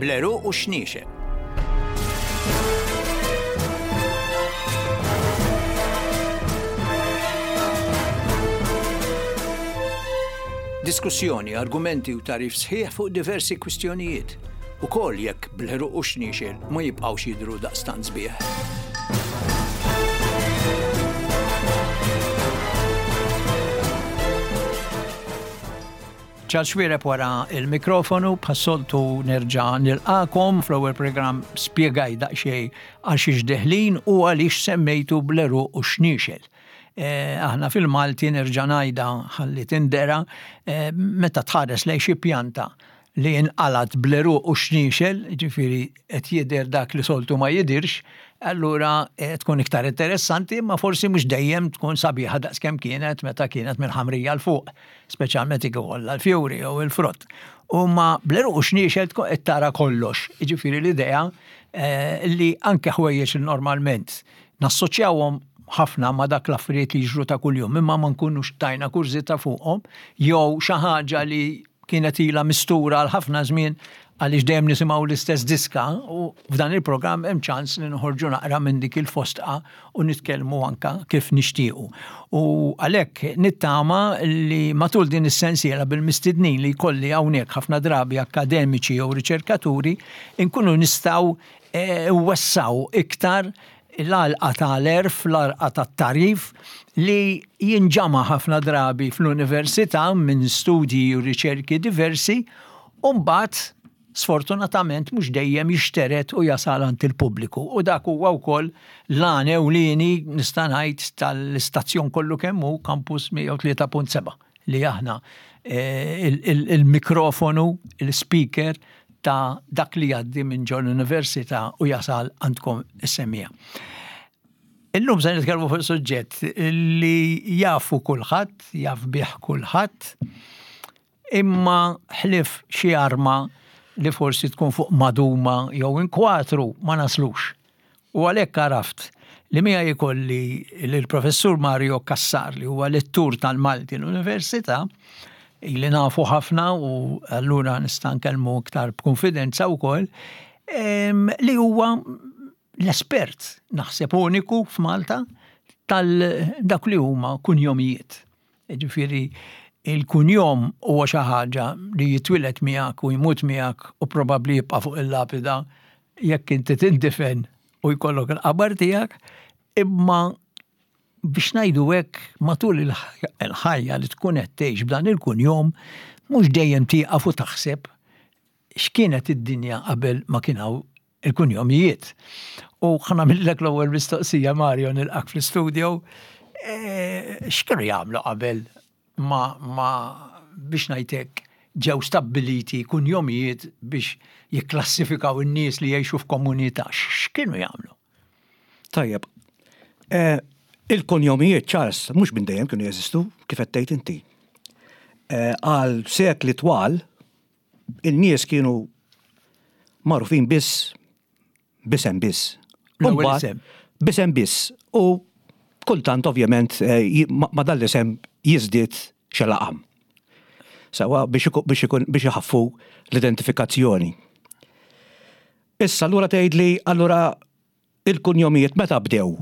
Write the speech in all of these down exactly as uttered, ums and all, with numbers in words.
Bl-għeruq u x-xniexel. Diskussjoni, argumenti u tagħrif sħiħ fuq diversi kwistjonijiet. Ukoll jekk bl-għeruq u x-xniexel ma jibqgħux jidhru daqstant sbieħ. Charles Xuereb wara il-mikrofonu, bħas-soltu nerġa' nilqakom. Fl-ewwel programm spjegaj daqsxejn għal xiex deħlin u għaliex semmejtu bl-għeruq u x-xniexel. Eh, aħna fil-Malti nerġa' ngħidha ħalli tindera, eh, meta tħares lejn xi pjanta li inqalat bl-għeruq u x-xniexel, ġifieri qed jidher dak li soltu ma jidirx, allura eh, tkun iktar interessanti, imma forsi mhux dejjem tkun sabiħa daqskemm kienet meta kienet mill-ħamrija 'l fuq, speċjalment jekk ikollha l-fjuri jew il-frott. U ma bl-għeruq u x-xniexel tkun qed tara kollox. Jiġifieri l-idea eh, li anke ħwejjeġ li normalment nassoċjawhom ħafna ma dak l-affarijiet li jiġru ta' kuljum, imma ma nkunux tajna kurżità fuqhom, jew xi ħaġa li kienet ilha mistura għal ħafna żmien għaliex dejjem nisimgħu l-istess diska, u f'dan il-programm hemm ċans li noħorġu naqra minn dik il-fostqa u nitkellmu anka kif nixtiequ. U għalhekk nittama li matul din is-sensiela bil-mistednin li jkolli hawnhekk ħafna drabi akademiċi jew riċerkaturi inkunu nistgħu, eh, wessaw iktar l-għalqa tal-għerf, l-għalqa tat-tagħrif li jinġama ħafna drabi fl-università minn studji u riċerki diversi, u mbagħad sfortunatament mhux dejjem jixteret u jasal għand il-pubbliku. U dak huwa wkoll l-għan ewlieni nista' ngħid tal-istazzjon kollu kemm hu Campus mija u tlieta punt seba' li aħna, eh, il-, il-, il-mikrofonu, il-speaker ta' dak li jgħaddi minn ġol università u jasal għandkom is-semmiegħa. Illum se nitkellmu fuq suġġett li jafu kulħadd, jaf bih kulħadd, imma ħlif xi arma li forsi tkun fuq maduma jew inkwatru ma naslux. U għalhekk għaraft li miegħi jkolli lill-professur Mario Cassar li huwa lettur tal-Malti l-Università, li nafu ħafna u allura nista' nkellmu iktar b'konfidenza wkoll, em, li huwa l-espert naħseb uniku f'Malta tal dak li huma kunjomijiet. Ġifieri il-kunjom huwa xi ħaġa li jitwieled miegħek u jmut miegħek u probabbli jibqa' fuq il-lapida jekk inti tindifen u jkollok il-qabar tiegħek, imma biex ngħidu hekk matul il-ħajja li tkun qed tgħix b'dan il-kunjom mhux dejjem tieqaf u taħseb x'kienet id-dinja qabel ma kien hawn il-kunjomijiet. U ħa nagħmillek l-ewwel mistoqsija, Mario, nilqak fl-istudio. E, x'kienu jagħmlu qabel ma, ma biex ngħidlek ġew stabbiliti kunjomijiet biex jikklassifikaw in-nies li jgħixu f'komunità? X'kienu jagħmlu? Tajjeb. E, il-kunjomijiet, Charles, mhux minn dejjem kienu jeżistu, kif qed tgħid inti. E, għal sekli twal, in-nies kienu magħrufin biss b'isem biss. L-ewwel Imbagħad isem. B'isem biss. U kultant ovvjament, eh, ji-, ma-, ma dan l-isem jiżdied xi laqam. Sawa biex iku-, biex ikun, biex iħaffu l-identifikazzjoni. Issa allura tgħidli allura il-kunjomijiet meta bdew?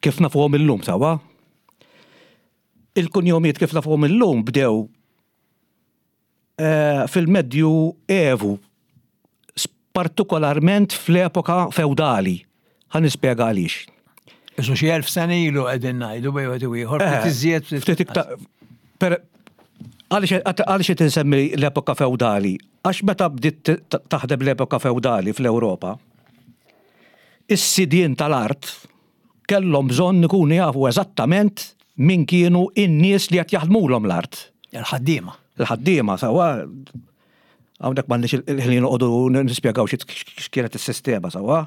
Kif nafuhom illum sawa? Il-kunjomijiet kif nafuhom illum bdew, eh, fil-Medju Evu, partikolarment fl-epoka feudali. Ħa nispjega għaliex. Isu xi elf sena ilu qegħdin ngħidu bejn wieħed u ieħor, ftit Eh, iżjed, ftit ftit iktar. Per, għaliex, għaliex qed insemmi l-epoka feudali? Għax meta bdiet t-, t-, taħdem l-epoka feudali fl-Ewropa, is-sidien tal-art kellhom bżonn ikunu jafu eżattament min kienu in-nies li qed jaħdmulhom l-art. Il-ħaddiema. Il-ħaddiema, sawa. Hawnhekk m'għandniex il-ħin noqogħdu nispjegaw xi x'kienet is-sistema, sawa.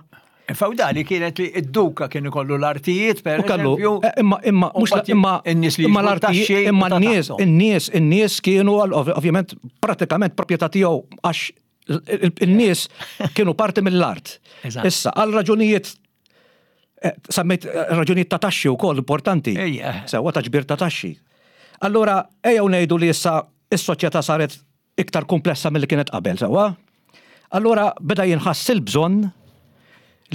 Feudali kienet li id-duka kien ikollu l-artijiet, per U kellu, eżempju, eh, imma, imma, u mhux la, mbagħad imma, in-nies li imma jiġbru l-artijiet, taxxi imma u ta' n-nies, taħtom. in-nies, in-nies kienu għal, ovvj-, ovvjament pratikament proprjetà tiegħu għax il-, il-, in-nies kienu parti mill-art. Eżatt. Issa, għal raġunijiet, eh, semmejt, eh, raġunijiet ta' taxxi wkoll importanti. Ejja. Sewwa ta' ġbir ta' taxxi. Allura, ejjew ngħidu li issa is-soċjetà saret iktar komplessa milli kienet qabel, sewwa? Allura beda jinħass il-bżonn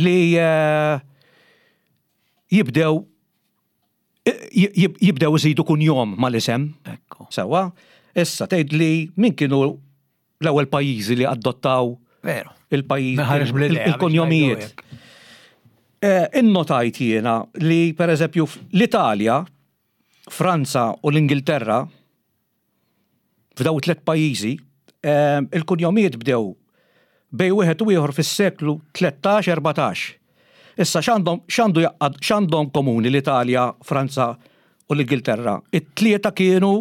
li eh, jibdew jibdew iżidu kunjom mal-isem. Ekku. Sewwa, issa tgħid li min kienu l-ewwel pajjiżi li adottaw Veru. il-pajjiż Ma ħareġ bl-idea biex il-kunjomijiet. ngħidu hekk. Eh, Innotajt jiena li per eżempju l-Italja, Franza u l-Ingilterra, f'daw tliet pajjiżi, eh, il-kunjomijiet bdew bej wieħed u ieħor fis-seklu tlettax erbatax. Issa x'għandhom x'għandu jaqgħad x'għandhom komuni l-Italja, Franza u l-Ingilterra? It-tlieta kienu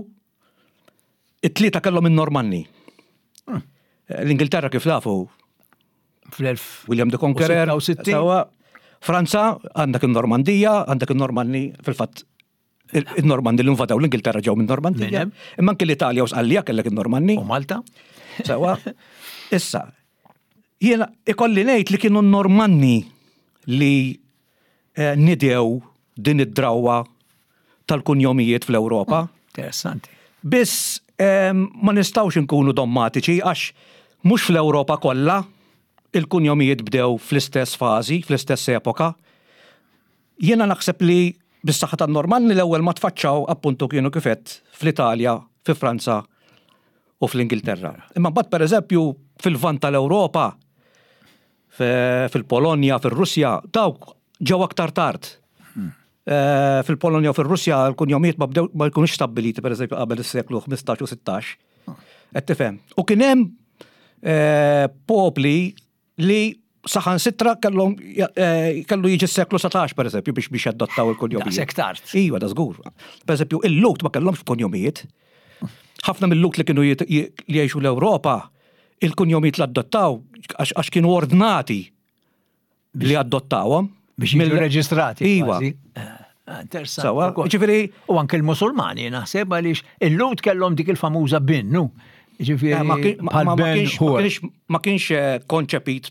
it-tlieta kellhom in-Normanni. Eh, L-Ingilterra, kif nafu, Fl-elf. William the Conqueror. u sitta u sittin. Sewwa. Franza, għandek il-Normandija, għandek il-Normanni, fil-fatt, il-Normanni li invadaw l-Ingilterra ġew minn Normandija. Minn hemm. Imma anke l-Italja u Sqallija kellek il-Normanni. U Malta? Sewwa. Issa, jiena ikolli ngħid li kienu n-Normanni li eh, nidew din id-drawa tal-kunjomijiet fl-Ewropa. Interessanti. Biss em, ma nistawx nkunu dommatiċi, għax mhux fl-Ewropa kollha il-kunjomijiet bdew fl-istess fażi, fl-istess epoka. Jiena naħseb li bis-saħħa tan-Normanni l-ewwel ma tfaċċaw appuntu kienu kif għedt fl-Italja, fi Franza u fl-Ingilterra. Imma mbagħad, pereżempju, fil-Lvant tal-Ewropa, fil-Polonja, fil-Russja, dawk ġew aktar tard. Eh, Fil-Polonja u fil-Russja l-kunjomijiet ma bdew ma jkunux stabbiliti, pereżempju, qabel is-seklu ħmistax u sittax. Qed tifhem? U kien hemm eh, popli li saħansitra kellhom eh, kellu jiġi s-seklu satax, pereżempju, biex biex jadottaw il-kunjomijiet. Daqshekk tard. Iva, da żgur. Pereżempju, il-Lhud ma kellhomx kunjomijiet. Ħafna mill-Lhud li kienu jit- li jgħixu l-Ewropa, il-kunjomijiet li adottaw għax għax kienu ordnati li adottawhom. Biex jiġu Mill- reġistrati. Iva. Kważi. Eh, Interessanti. Sewwa, ukoll. ġifieri- U anke l-Musulmani naħseb, għaliex il-Lhud kellhom dik il-famuża bin, nu. Ġifieri Eh, Ma kien- ma- bħal ma- ma Ben kienx ma Hur. kienx ma kienx eh, konċepit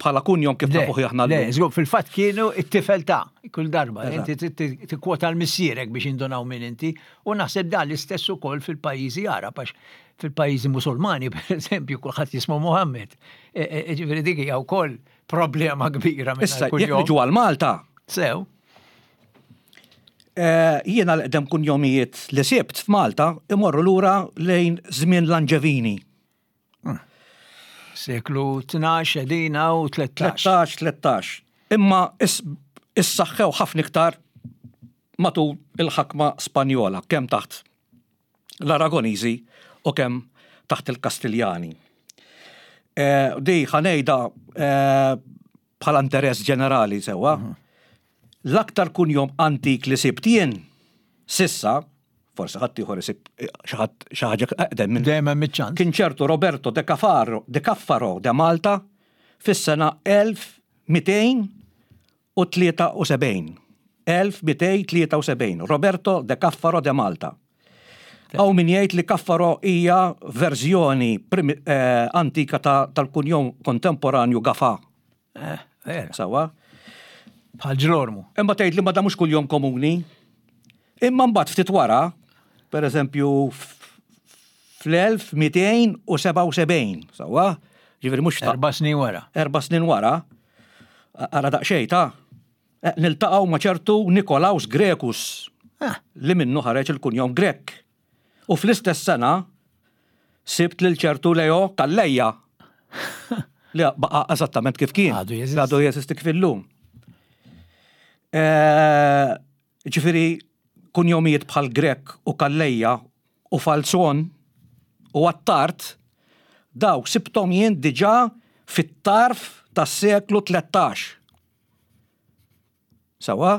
bħala kunjom kif Le, nafuh aħna le, llum. żgur, fil-fatt kienu it-tifel ta' kull darba. Eżatt. Inti trid ti- tikkwota l-missierek biex jindunaw minn inti. U naħseb dan l-istess ukoll fil-pajjiżi Arab, għax fil-pajjiżi Musulmani, per eżempju, kulħadd jismu Muhammed. E- e- Ġifieri dik hija wkoll problema kbira minn Issa, jekk niġu għal Malta, Sew, eh, jiena l-qdem kunjomijiet li sibt f'Malta imorru lura lejn żmien l-Anġevini. Seklu tnax edina u tlettax. tlettax, tlettax. Imma is- issaħħew ħafna iktar matul il-ħakma Spanjola, kemm taħt l-Aragoniżi u kemm taħt il-Kastiljani. Eh, Di ħa ngħidha eh, bħala interess ġenerali, sewwa. L-aktar kunjom antik li sibt jien sissa, forsi ħadd ieħor isib xi ħadd- xi ħaġa eqdem minn Dejjem hemm iċ-ċans. kien ċertu Roberto de Cafaro, de Caffaro de Malta fis-sena elf mitejn u tlieta u sebgħin. elf mitejn tlieta u sebgħin. Roberto de Caffaro de Malta. Hawn min jgħid li Caffaro hija verżjoni primi- eh, antika ta' tal-kunjom kontemporanju Gafa. Eh, vera. Sewwa. Bħal Ġlormu. Imma tgħid li ma da mhux kuljom komuni. Imma mbagħad ftit wara, per eżempju fl-elf mitejn u sebgħa u sebgħin, sewwa, ġifieri mhux ta' Erba' snin wara. erba' snin wara, ara daqsxejn ta' eh, niltaqgħu ma' ċertu Nikolaus Grekus Ah, li minnu ħareġ il-kunjom Grek. U fl-istess sena sibt lil ċertu Leo Calleja li baqa' eżattament kif kien. Għadu jeżisti. Għadu jeżisti kif illum. Eh, Ġifieri, kunjomijiet bħal Grek u Calleja u Falzon u Attart, dawk sibtom jien diġà fit-tarf tas-seklu tlettax. Sewwa,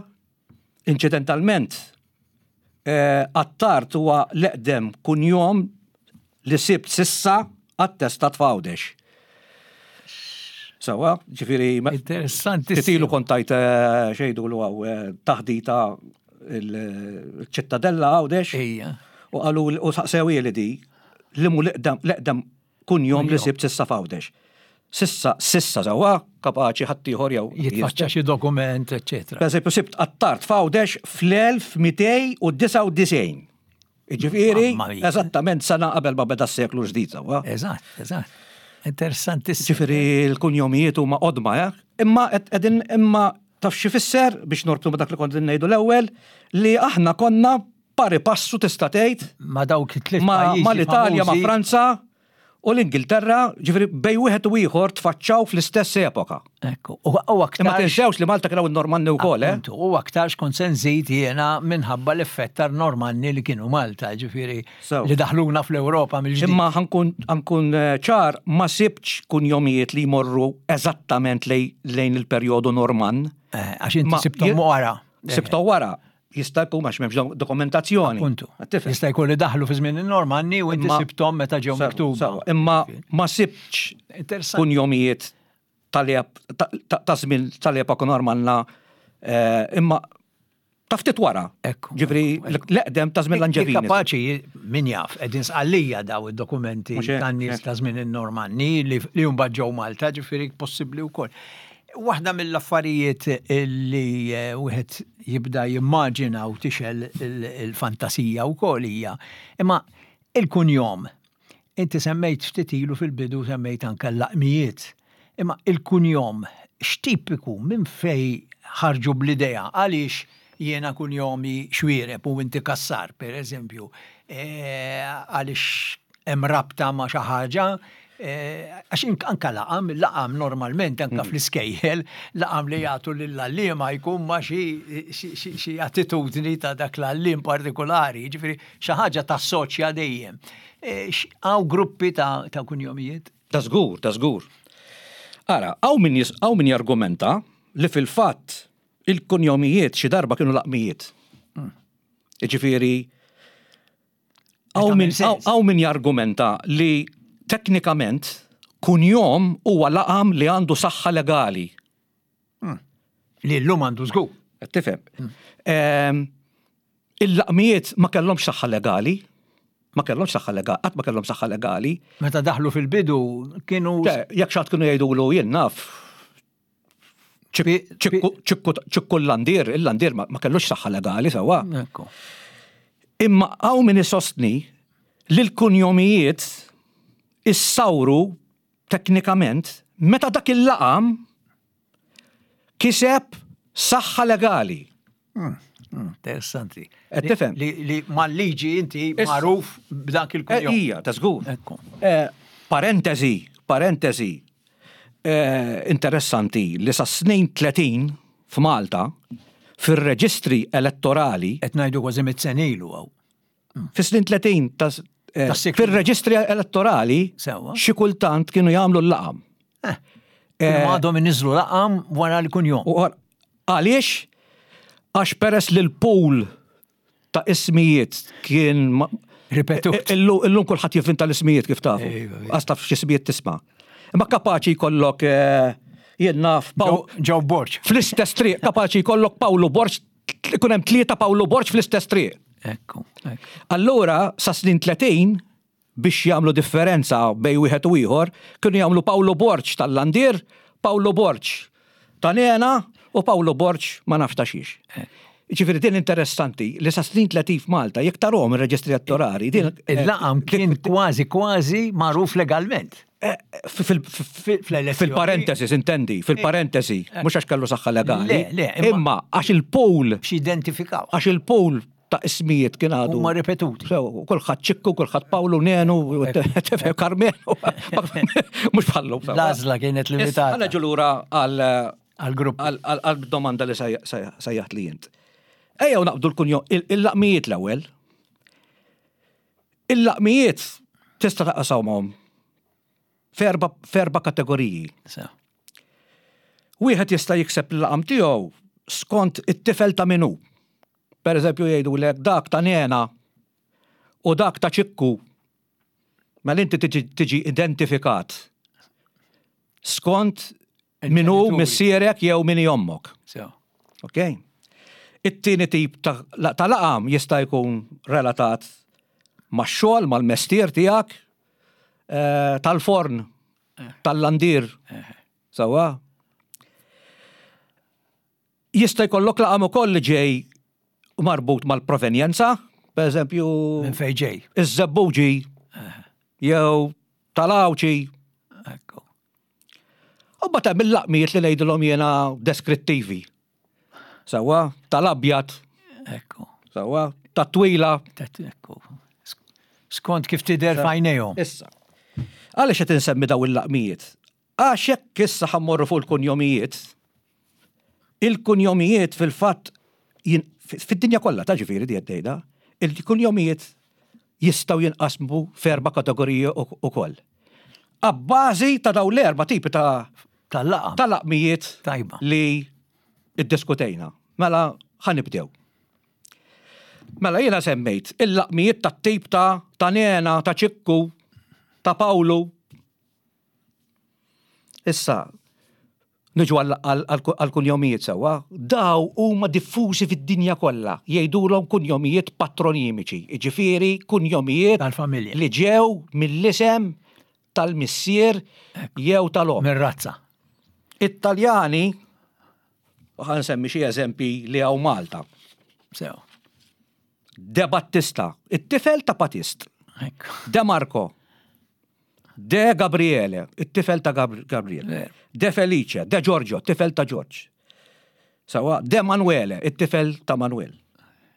inċidentalment, eh, Attart huwa l-eqdem kunjom li sibt sissa attestat f'Għawdex. Sewwa, ġifieri, Interessanti. ftit ilu kont tajt eh, xejdu l għaw eh, taħdita il-Ċittadella Għawdex Ejja. u qalu u saqsew li di li mu l-eqdem l-eqdem kunjom li sibt sissa f'Għawdex. Sissa, sissa sewwa, kapaċi ħaddieħor jew Jitfaċċa xi dokument, eċetera. Per eżempju, sibt Attart f'Għawdex fl-elf mitejn u disgħa u disgħin. Ġifieri, Mamma mia. eżattament sena qabel ma beda s-seklu ġdid, sewwa. Eżatt, eżatt. Interessantissimu. Ġifieri l-kunjomijiet huma qodma, eh? Imma qegħdin imma taf xi fisser biex norbtu ma' dak li kont ngħidu l-ewwel li aħna konna pari passu tista' tgħid Ma dawk it-tliet ma pajjiżi ma l-Italja, ma' famużi. Franza u l-Ingilterra, ġifieri bejn wieħed u ieħor tfaċċaw fl-istess epoka. Ekku. U u Imma aktar tinsewx li Malta kienu n-Normanni wkoll, eh? Appuntu, u aktarx kont se nżid jiena minħabba l-effett tar-Normanni li kienu Malta, ġifieri So. li daħluna fl-Ewropa mill-ġdid. Imma ħa nkun ħa nkun eh, ċar ma sibtx kunjomijiet li jmorru eżattament lej- lejn il-perjodu Norman. Eh, Għax inti Ma- sibtom je- wara. Sibtom wara. Jista' jkun għax m'hemmx dokumentazzjoni. Appuntu. Tifhem? Jista' jkun li daħlu fi żmien in-Normanni u inti Imma- sibtom meta ġew Sewa, miktuba. sewa. Imma ma sibtx Interessanti. kunjomijiet tal-ep- ta' ta' ta' żmien tal-epoka Normanna eh, imma ta' ftit wara. Ekku, Ġifieri ekku, l-eqdem ta' żmien l-Anġevini. Kapaċi, min jaf, qegħdin Sqallija daw id-dokumenti Mhux hekk, tan-nies hekk. ta' żmien in-Normanni li li mbagħad ġew Malta, ġifieri possibbli wkoll. Waħda mill-affarijiet li eh, wieħed jibda jimmaġina u tixgħel il- il-fantasija wkoll hija, imma il-kunjom. Inti semmejt ftit ilu fil-bidu semmejt anke l-laqmijiet. Imma il-kunjom x'tipiku minn fej ħarġu bl-idea għaliex jiena kunjomi Xwireb u inti Kassar, per eżempju, Eh, għaliex hemm rabta ma' xi ħaġa, eh, għax ink- anka laqam, laqam normalment anka fl-iskejjel, laqam li jagħtu lill-għalliema jkun ma' xi xi- xi xi attitudni ta' dak l-għalliem partikolari, ġifieri xi ħaġa tassoċja dejjem. Eh, x- Hawn gruppi ta' ta' kunjomijiet? Ta' żgur, ta' żgur. Ara, hawn min jis- hawn min jargumenta li fil-fatt il-kunjomijiet xi darba kienu laqmijiet. Ġifieri, hawn min tagħmel sens. hawn min jargumenta li teknikament kunjom huwa laqam li għandu saħħa legali. Li llum għandu żgur. Qed Tifhem? Ehm, Il-laqmijiet ma kellhomx saħħa legali, ma kellhomx saħħa legali, qatt ma kellhom saħħa legali. Meta daħlu fil-bidu kienu Te, Jekk xi ħadd kienu jgħidulu jien naf Pi- ċikku ċikku- ċikku l-landir, il-landir ma ma kellux saħħa legali sewwa. Ekku. Imma hawn min isostni li l-kunjomijiet issawru teknikament meta dak il-laqam kiseb saħħa legali. Interessanti. Qed tifhem? Li, li mal-liġi inti Issa. magħruf b'dak Eh, il-kunjom. Ija, ta' żgur. Ekku. Eh, Parentesi, parentesi, eh, interessanti li sa snin tletin f'Malta fir-reġistri elettorali Qed ngħidu kważi mitt sena ilu hawn. fi snin tletin ta' eh, Tas-seklu. fir-reġistri elettorali Sewwa. xi kultant kienu jagħmlu l-laqam. Eh. Kienu għadhom iniżlu laqam wara l-kunjom. U għal- Għaliex? Għax peress li l-pool ta' ismijiet kien ma- Ripetut. Illum illum kulħadd jivvinta l-ismijiet kif tafu. Ejwa, ejwa. Għax taf x'ismijiet tisma'. Imma kapaċi jkollok eh, jien naf Paw- Ġew Borġ. fl-istess triq, kapaċi jkollok Pawlu Borġ, ikun hemm tlieta Pawlu Borġ fl-istess triq. Ekku. ekku. Allura, sa snin tletin, biex jagħmlu differenza bejn wieħed u ieħor, kienu jagħmlu Pawlu Borġ tal-Landir, Pawlu Borġ ta' Nena u Pawlu Borġ ma nafx ta' xiex. Ġifieri din interessanti li sa snin tletin f'Malta, jekk tarahom ir-reġistri elettorali, din Il-laqam kien kważi kważi magħruf legalment. eh, fil- fil- Fl-elezzjoni. fil-parentesi, intendi, fil-parentesi, mhux għax kellu saħħa legali. Le, le, imma- imma għax il-pool, Biex identifikaw. għax il-pool ta' ismijiet kien għadu. Huma ripetuti. So, kulħadd Ċikku, kulħadd Pawlu, Nenu, tifhem, Karmenu, mhux bħallu. L-għażla kienet limitata. Għala lura għal Għal-grupp. għal- għal għal domanda li sejjaħt sejjaħt li jint. Ejja u naqbdu l-kunjo, il-laqmijiet l-ewwel. Il-laqmijiet tista' taqsawhom f'erba f'erba' kategoriji. So. Wieħed jista' jikseb l-laqam tiegħu skont it-tifel ta' minu. Per eżempju jgħidu lek dak ta' Nena u dak ta' Ċikku. Mela inti tiġi, tiġi identifikat skont minu Il-ġenituri. missierek jew min ommok. So. Ok? It-tieni tip ta' la- ta' laqam jista' jkun relatat max-xogħol, mal-mestier tiegħek, eh, tal-forn, tal-landir. Sewwa? Jista' jkollok laqam ukoll li ġej marbut mal-provenjenza, per eżempju, Minn fejn ġej. iż-żebbuġi jew tal-Għawdxi. U mbagħad hemm il-laqmijiet li ngħidilhom jiena deskrittivi. Sewwa, tal-abjad, Ekku. sewwa, tat-twila. Ekku. Skont kif tidher f'għajnejhom. Issa. Għaliex qed insemmi daw il-laqmijiet? Għax jekk issa ħa mmorru fuq il-kunjomijiet, il-kunjomijiet fil-fatt fid-dinja kollha ta' ġifieri di qed il-kunjomijiet jistgħu jinqasmu f'erba' kategoriji ukoll. Abbażi ta' daw l-erba' tipi ta' tal-laqam. Tal-laqmijiet Tajba. li iddiskutejna. Mela ħa nibdew. Mela jiena semmejt il-laqmijiet tat-tip ta' ta' Nena, ta' Ċikku, ta' Pawlu. Issa, niġu għal-kunjomijiet sewwa, daw huma diffużi fid-dinja kollha, jgħidulhom kunjomijiet patronimiċi, jiġifieri kunjomijiet tal-familja li ġew mill-isem tal-missier jew tal-omm. Mir-razza. It-Taljani, ħa nsemmi xi eżempi li hawn Malta. Sew. De Battista, it-tifel ta' Patist. Ekku. De Marco, De Gabriele, it-tifel ta' Gab Gabriele. De Felice, De Giorgio, it-tifel ta' George. Sewwa, De Manuele, it-tifel ta' Manuel.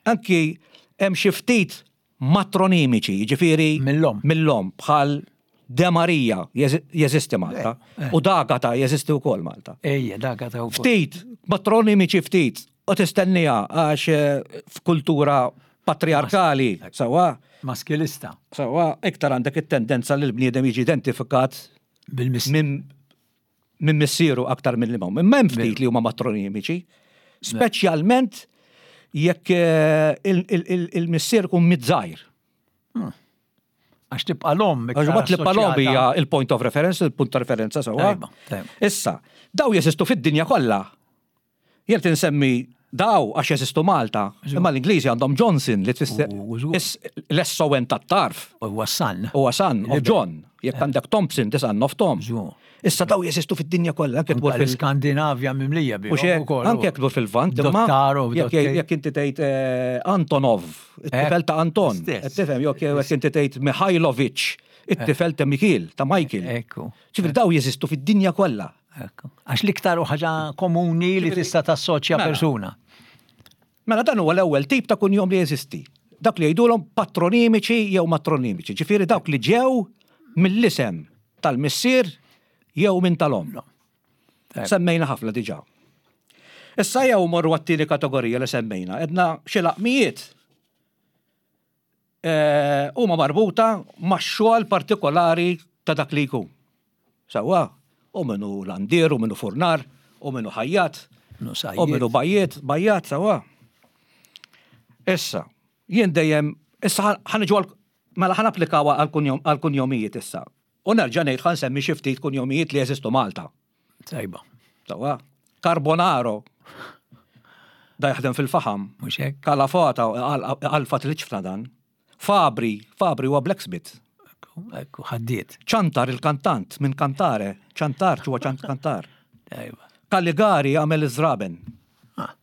Anki hemm xi ftit matronimiċi, jiġifieri Mill-omm. Mill-omm, bħal De Maria jeżisti Malta u D'Agata jeżisti wkoll Malta. Ejja, D'Agata wkoll. Ftit, matronimiċi ftit, u tistennija għax eh, f'kultura patriarkali, sewwa. Maskilista. Sewwa, iktar għandek it-tendenza li l-bniedem jiġi identifikat Bil-miss. minn min missieru aktar minn li m'omm. Imma hemm ftit li huma matronimiċi, speċjalment jekk eh, il-missier ikun miż-żgħir. Għax tibqa l-omm. Għax mbagħad li l-omm hija il-point of reference, il-punt ta' referenza sewwa. Tajba, tajba. Issa, daw jeżistu fid-dinja kollha. Jien tinsemmi daw għax jeżistu Malta, imma l-Ingliżi għandhom Johnson li tfisser U- u- l-S O N tat-tarf. Huwa son. Huwa son of John. Jekk għandek Thompson, the son of Tom. Żgur. Issa daw jeżistu fid-dinja kollha, anke tmur fil- L-Skandinavja mimlija bi. U xek, anke jekk tmur fil-Lvant, imma Dottaro, jekk jekk inti tgħid eh, Antonov, it-tifel ta' Anton, Stess. tifhem, jekk jekk inti tgħid Mihailovic, it-tifel ta' Mikil, ta' Michael. Ekku. Ġifieri daw jeżistu fid-dinja kollha. Ekku. Għax l-iktar u ħaġa komuni li tista' tassoċja Mela. persuna. Mela dan huwa l-ewwel tip ta' kunjom li jeżisti. Dak li jgħidulhom patronimiċi jew matronimiċi. Ġifieri dawk li ġew mill-isem tal-missier jew minn tal-omm. Tajba. Semmejna ħafna diġà. Issa jew morru għat-tieni kategorija li semmejna, edna xi laqmijiet eh, huma marbuta ma' xogħol partikolari ta' dak li jkun. Sewwa, u minnu landier, u minnu furnar, u minnu ħajjat, Nu u minnu bajjiet, bajjat, sewwa. Issa, jien dejjem, issa ħa niġu għal, mela ħa napplikawha għal-kunjomijiet issa. U nerġa' ngħid ħa nsemmi xi ftit kunjomijiet li jeżistu Malta. Tajba. Sewwa, Carbonaro, da jaħdem fil-faħam. Mhux hekk? Kalafata, għalfa tliċfna dan. Fabri, Fabri huwa blacksmith. Ekku, ekku, ħaddiet. Ċantar il-kantant, minn kantare. Ċantar, ġuwa ċant kantar. Tajba. Caligari għamel iż-żraben. Ah.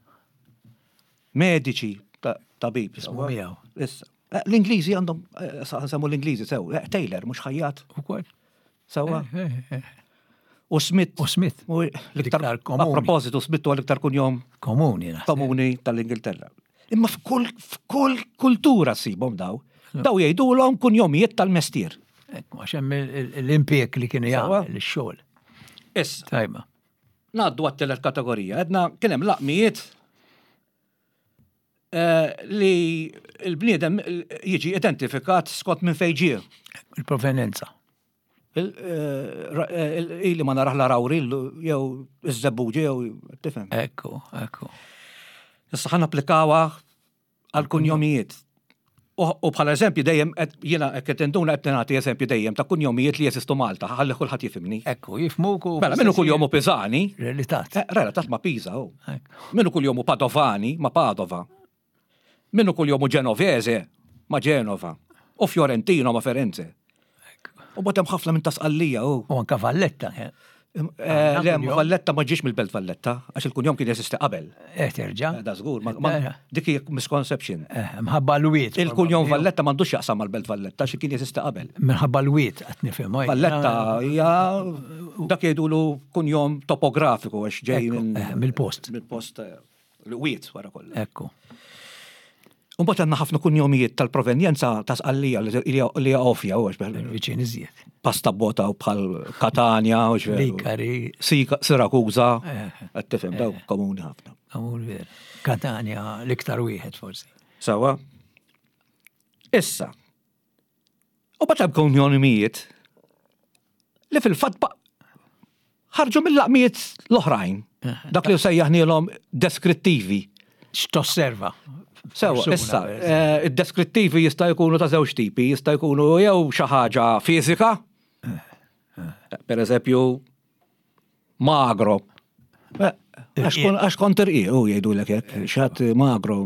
Medici, ta- tabib. Ismu sewwa. miegħu. Issa. Eh, L-Ingliżi għandhom, eh, sa- nsemmu l-Ingliżi, sew, eh, Taylor, mhux ħajjat, Ukoll. sewwa. U Smith. U Smith. U l-iktar, L-iktar a komuni. propositu, Smith huwa l-iktar kunjom Komuni. naħseb. komuni tal-Ingilterra. Imma f'kull f'kull kultura ssibhom daw. Daw jgħidulhom kunjomijiet tal-mestier. Ekku, għax hemm il- il- l-impjeg li kienu Sewwa. jagħmel ix-xogħol. Issa, Tajba. ngħaddu għat-tielet kategorija. Edna kien hemm laqmijiet eh, li l-bniedem jiġi identifikat skont minn fejn ġie. Il-provenenza. Il- eh, ra- eh, il- Ili ma naraħ l-Għargħur jew iż-Żebbuġa jew tifhem. Ekku, ekku. Issa ħa napplikawha għal kunjomijiet. U u bħala eżempju dejjem qed- jiena qed tinduna qed nagħti eżempju dejjem ta' kunjomijiet li jeżistu Malta, ħalli kulħadd jifhimni. Ekku, jifhmuk u. Mela minnu kunjomu Pisani, Relatat. eh, relatat ma' Pisa hu. Ekku. Minnu kunjomu Padovani ma' Padova. Minnu kunjomu Genovese ma' Genova. U Fiorentino ma' Firenze. Ekku. U botem ħafna minn ta' Sqallija u. U anka Valletta. eh. Eh, le, Valletta ma ġiex mill-Belt Valletta, għax il-kunjom kien jeżisti qabel. Eh, terġa. Eh, da żgur, dik hija misconception. Eh, mħabba l-wiet. Il-kunjom Valletta m'għandux jaqsam mal-Belt Valletta, għax kien jeżisti qabel. Minħabba l-wiet qed nifhem. Valletta hija dak jgħidulu kunjom topografiku għax ġej mill-post. Mill-post l-wiet wara kollox. Ekku. Mbagħad għandna ħafna kunjomijiet tal-provenjenza ta' Sqallija li hija ovvja u għax Viċin iżjed. Pasta bota u bħal Katania u xveru. Likari. Sirakuza. Qed tifhem daw komuni ħafna. Komuni vera. Katania l-iktar wieħed forsi. Sawa. Issa. U bagħad hemm kunjomijiet li fil-fatt ħarġu mill-laqmijiet l-oħrajn. Dak li sejjaħnielhom deskrittivi. X'tosserva? Sewa, issa, eh, id-deskrittivi jista' jkunu ta' żewġ tipi, jista' jkunu jew xi ħaġa fiżika, per eżempju, magro. Eh, għax kont irqiq, u jgħidulek hekk, xi ħadd magro,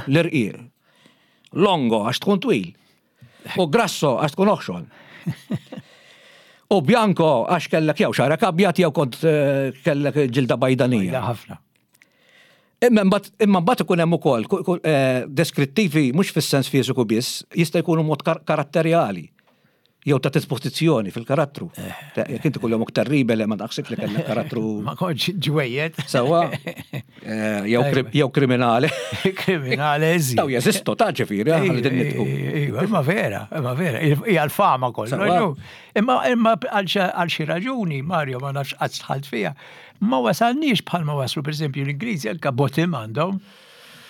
l-irqiq. Longo, għax tkun twil. U grasso, għax tkun oħxon. U bianco, għax kellek jew xagħrek abjad jew kont eh, kellek ġilda bajdanija. Ħafna. Imma mbagħad ikun hemm ukoll eh, deskrittivi mhux fis-sens fiżiku biss, jista' jkunu mod karatterjali jew ta' dispożizzjoni fil-karattru. Eh. Jekk inti kuljomok terribile ma naħsibx li kellek karattru. Ma kontx ġwejjed. Sewwa. Eh, jew kriminali. Kriminali, eżi. Daw jeżistu ta' ġifieri, aħna din nitqu. Iva, imma vera, imma vera, hija l-fama kollu. Imma imma għal xi raġuni, Mario, ma nafx qatt dħalt fiha, ma wasalniex bħalma waslu, per esempio, l-Ingliżi anka Bottom għandhom,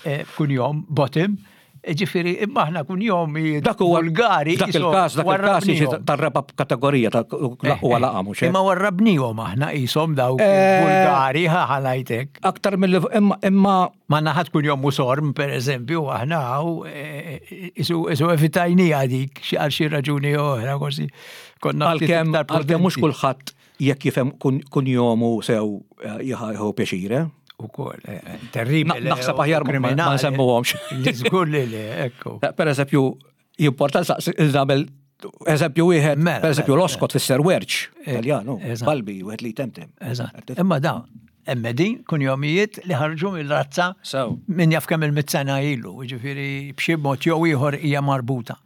eh, kunjom Bottom, ġifieri, imma aħna kunjom Dak huwa vulgari. Dak il-każ, dak il-każ jiġi tar-raba kategorija ta' huwa laqam mhux Imma warrabnihom aħna qishom dawk Eh, vulgari ħalajtek. Aktar mill imma imma Ma naħat kunjom Musorm, per eżempju, aħna għaw, isu isu evitajnija dik, xi għal xi raġuni oħra, forsi konna ftit għalkemm iktar għalkemm mhux prudenti. kulħadd jekk jifhem kunjomu sew eh, jieħu pjaċir, eh? Ukoll, eh, eh, terribili. Na- naħseb aħjar ma- ma nsemmuhomx. Li żgur li le, ekku. Per eżempju, jimporta nagħmel eżempju wieħed, Mela, per eżempju mela, l-oskot fisser werċ, Taljanu, eżatt. balbi, wieħed li temtem. Eżatt. Imma da, hemm din kunjomijiet li ħarġu mill-razza Sew. min jaf kemm il-mitt sena ilu, ġifieri b'xi mod jew ieħor hija marbuta.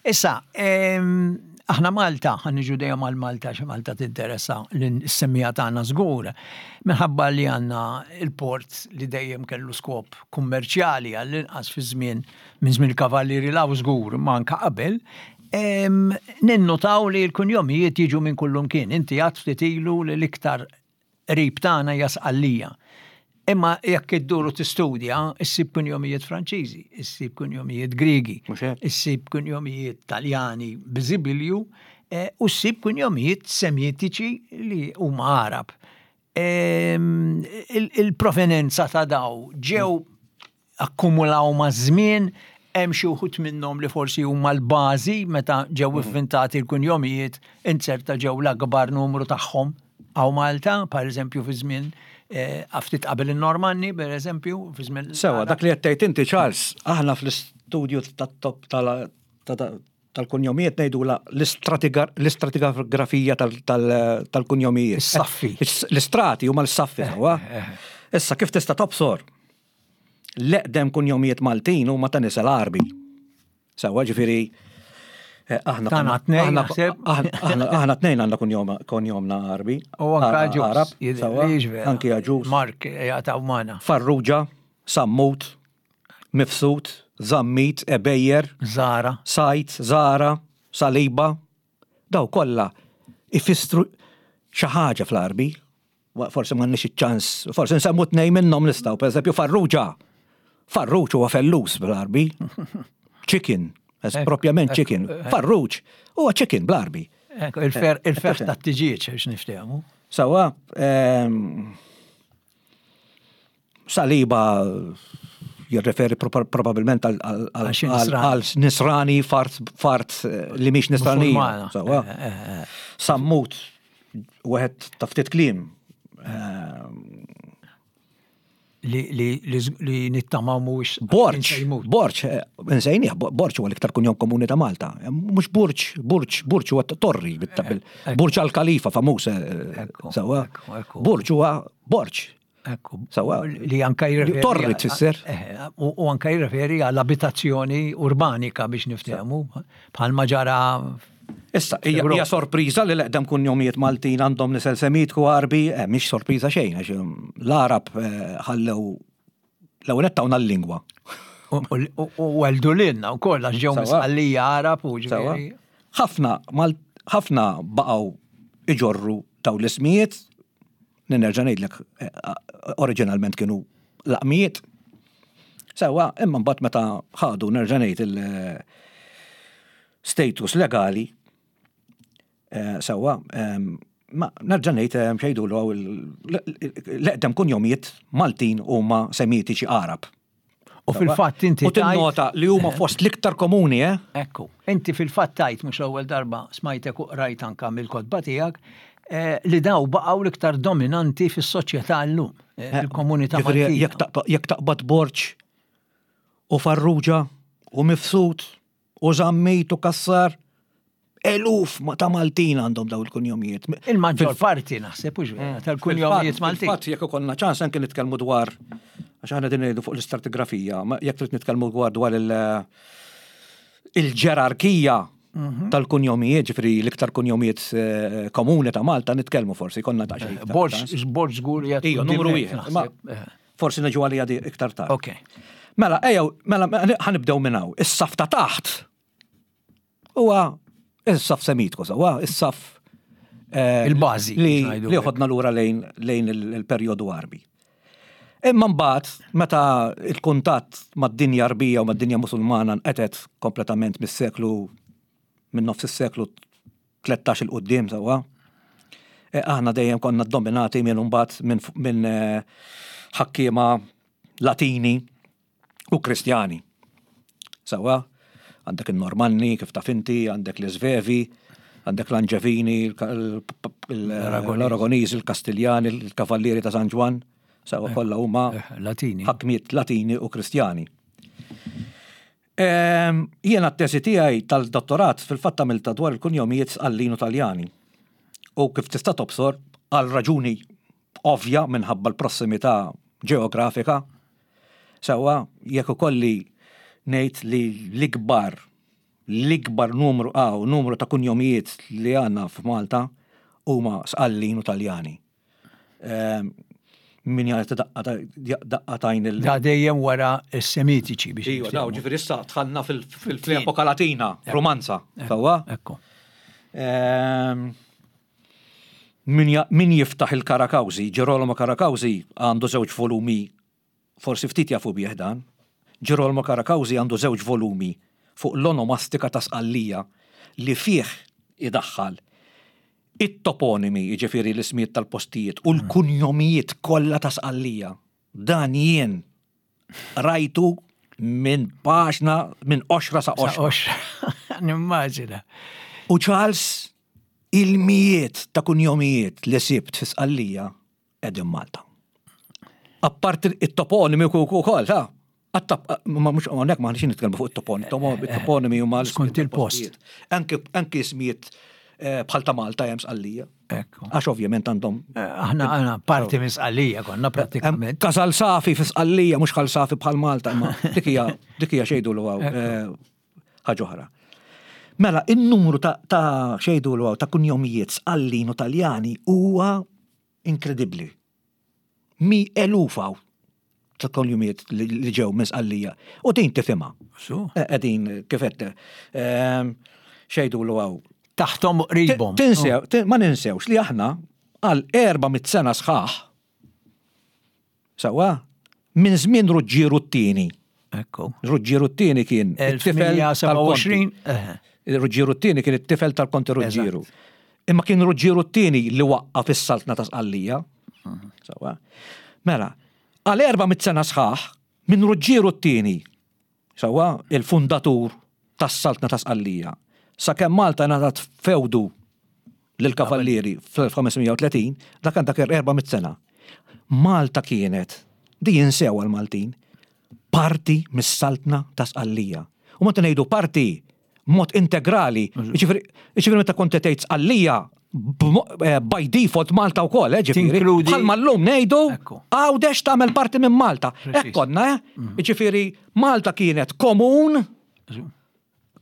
Issa, em, aħna Malta, ħa niġu dejjem għal Malta, xi Malta tinteressa l-semmija tagħna żgur, minħabba li għandna il-port li dejjem kellu skop kummerċjali għall-inqas fi żmien minn żmien il-kavallieri law żgur, ma anka qabel, em, ninnotaw li l-kunjomijiet jiġu minn kullum kien. Inti għad ftit ilu li l-iktar qrib tagħna hija Sqallija. Imma jekk idduru tistudja, issib kunjomijiet Franċiżi, issib kunjomijiet Griegi, Mhux hekk? issib kunjomijiet Taljani biżibilju, eh, u ssib kunjomijiet Semitiċi li huma Arab. Em, il- Il-provenenza ta' daw ġew akkumulaw ma' żmien, hemm xi wħud minnhom li forsi huma l-bażi meta ġew ivvintati l-kunjomijiet, inzerta ġew l-akbar numru tagħhom hawn Malta, per eżempju fi żmien eh, ftit qabel in-Normanni, per eżempju, fi żmien Sewa, dak li qed tgħid inti Charles, aħna fl-istudju tat-top tal- ta- tal-kunjomijiet ngħidu la l-istratigrafija tal-kunjomijiet. Is-saffi. L-istrati huma l-saffi sewwa. Issa kif tista' tobsor? L-eqdem kunjomijiet Maltin huma ta' nisel Għarbi. Sewwa ġifieri eh, aħna Tagħna tnejn, aħna- naħseb. aħna aħna tnejn għandna kunjom- kunjomna Għarbi. U anka Agius. Arab, jidher sewwa, li vera. Anki Agius. Mark jgħataw magħna. Farrugia, Sammut, Mifsud, Zammit, Ebejer, Zara. Sajt, Zara, Saliba, daw kollha ifissru xi ħaġa fl-Għarbi. Wa- Forsi m'għandniex iċ-ċans, forsi nsemmu tnejn minnhom nistgħu, pereżempju Farrugia. Farruġ huwa fellus bl-Għarbi. Chicken, es Ekku, propjament ekku, chicken. Farruġ huwa chicken bl-Għarbi. Ekku, il-fer il-fer tifhem. ta' tiġieġ biex niftehmu. Sewwa, ehm, Saliba jirreferi proba- probabilment għal- għal Għal xi għal- nisrani. għal nisrani fart fart eh, li mhix nisranija. Musulmana. Sewwa. Eh, eh, eh. Sammut, wieħed ta' ftit kliem. Ehm, li, li, li, li nittamaw mhuwiex Borġ, jmut. Borġ, eh, nsejnieh, Borġ huwa l-iktar kunjom komuni ta' Malta. Mhux Burġ, Burġ, Burġ huwa torri, bit- bil- Burġ al-Khalifa famuż, eh, Ekku, sewwa. ekku, ekku. Burġ huwa Borġ. Ekku, Sewwa. li anka jirreferi. Torri tfisser. Eh, U u anka jirreferi għall-abitazzjoni urbanika biex niftehmu, bħalma ġara Issa, hija hija sorpriża li l-eqdem kunjomijiet Maltin għandhom nisel Semitku Għarbi, eh, mhix sorpriża xejn, għax um, l-Arab eh, ħallew l-ewwel nett tawna l-lingwa. u- u u weldu lilna u koll għax ġew Sewwa. misqallija Arab u Sewwa. ġifieri. Ħafna mal ħafna baqgħu iġorru daw l-ismijiet, nerġa' ngħidlek eh, oriġinalment kienu laqmijiet. Sewwa, imma mbagħad meta ħadu nerġa' ngħid il-status legali, eh, sewwa, em, ma nerġa' ngħid eh, xejdu l-eqdem kunjomijiet Maltin huma Semitiċi Arab. U fil-fatt inti U tinnota li huma fost l-iktar komuni, eh? Ekku, inti fil-fatt tajt mhux l-ewwel darba smajtek u qrajt anka mill-kotba tiegħek eh, li daw baqgħu l-iktar dominanti fis-soċjetà llum, eh, fil-komunità Ġifieri, Maltija. Jekk taqba- jekk taqbad Borġ u Farrugia u Mifsud u Zammit u Kassar, eluf ma ta' Maltin għandhom daw il-kunjomijiet. Il-maġġor parti naħseb u vera tal-kunjomijiet Maltin. Fil-fatt jekk ikollna ċans anke nitkellmu dwar għax aħna din ngħidu fuq l-istratigrafija, ma jekk trid nitkellmu dwar dwar il- il-ġerarkija tal-kunjomijiet, ġifieri l-iktar kunjomijiet eh, komuni ta' Malta nitkellmu forsi konna ta' xejn. Borġ, Borġ żgur jgħid Ija, numru wieħed. Ma forsi niġu għalija di iktar tard. Ok. Mela, ejjew, mela, ħa nibdew minn hawn. Is-saf ta' taħt huwa is-saf Semitku, sewwa, is-saf eh, Il-bażi, li biex ngħidu li hekk. ħodna lura lejn lejn il- il-perjodu Għarbi. Imma mbagħad meta il-kuntatt mad-dinja Arbija u mad-dinja Musulmana nqetet kompletament mis-seklu minn nofs is-seklu tlettax 'il quddiem sewwa. eh, Aħna dejjem konna dominati minn mbagħad minn minn eh, ħakkiema Latini u Kristjani. Sewwa, għandek il-Normanni, kif taf inti, għandek l-Svevi, għandek l-Anġevini, l-Aragoniżi, il-Kastiljani, il-Kavallieri ta' San Ġwann, sewwa kollha huma Eh, Latini. ħakmiet Latini u Kristjani. Ehm, Jiena t-tesi tiegħi tal-dottorat fil-fatt għamilta dwar il-kunjomijiet Sqallin u Taljani. U kif tista' tobsor għal raġuni ovvja minħabba l-prossimità ġeografika, sewwa jekk ukolli ngħid li l-ikbar l-ikbar numru għaw numru ta' kunjomijiet li għandna f'Malta huma Sqallin u Taljani. Ehm, Min jagħti daqqa daqqa tajn il- Da dejjem wara s-Semitiċi biex. Iva, daw, niftehmu. ġifieri issa dħalna fil-epoka Latina, Romanza, sewwa? Ekku. Ehm, Min ja- min jiftaħ il-Karakawzi, Girolamo Karakawzi għandu żewġ volumi, forsi ftit jafu bih dan. Girolamo Karakawzi għandu żewġ volumi fuq l-onomastika ta' Sqallija li fih idaħħal it-toponimi, jiġifieri l-ismijiet tal-postijiet, u l-kunjomijiet kollha ta' Sqallija. Dan jien rajtu minn paġna, minn qoxra sa' Sa' qoxra. oxra. Nimmaġina. U Charles, il-mijiet ta' kunjomijiet li sibt fi Sqallija qegħdin Malta. Apparti it-toponimi u ukoll, ta' Għattap, ma mhux hawnhekk ma ħniex nitkellmu fuq it-toponimi, it-toponimi huma Skont il-post. Anke anke ismijiet eh, bħal ta' Malta hemm Sqallija. Ekku. Għax ovvjament għandhom Eh, Aħna aħna parti minn Sqallija konna prattikament. Kasal Safi fi Sqallija, mhux Ħal Safi bħal Malta, imma dik hija dik hija xejdu l ħaġa oħra. Mela, il-numru ta' ta' xejdu l ta' kunjomijiet Sqallin u Taljani huwa inkredibbli. Mi elufaw ta' kunjomijiet li li ġew minn Sqallija. U din tifhimha. Su. Qegħdin kif qed ehm, xejdu l għaw. Taħtom qribhom. Tinsew, tin- ma ninsewx li aħna għal erba' mit sena sħaħ. Sewwa, minn żmien Ruġġieru t-tieni. Ekku. Ruġġieru t-tieni kien it-tifel tal-Konti. elf mija u sebgħa u għoxrin. eh, Ruġġieru t-tieni kien it-tifel tal-Konti Ruġġieru. Imma kien Ruġġieru t-tieni li waqqaf is-saltna ta' Sqallija. Sewwa. Mela, għal erba' mit sena sħaħ minn Ruġġieru t-tieni, sewwa, il-fundatur tas-saltna ta' Sqallija. Sakemm Malta ngħatat fewdu lill-Kavallieri fl-elf ħames mija u tletin, dak għandak erba' mit sena. Malta kienet Di jinsew għal-Maltin, parti mis-saltna ta' Sqallija. U meta ngħidu parti mod integrali, ġifieri ġifieri meta kont tgħid Sqallija b'mo- eh, by default Malta wkoll, eh, ġifieri. Tinkludi- Bħalma llum ngħidu Ekku. Għawdex tagħmel parti minn Malta. Preċiż. Hekk konna, eh? Ġifieri Malta kienet komun,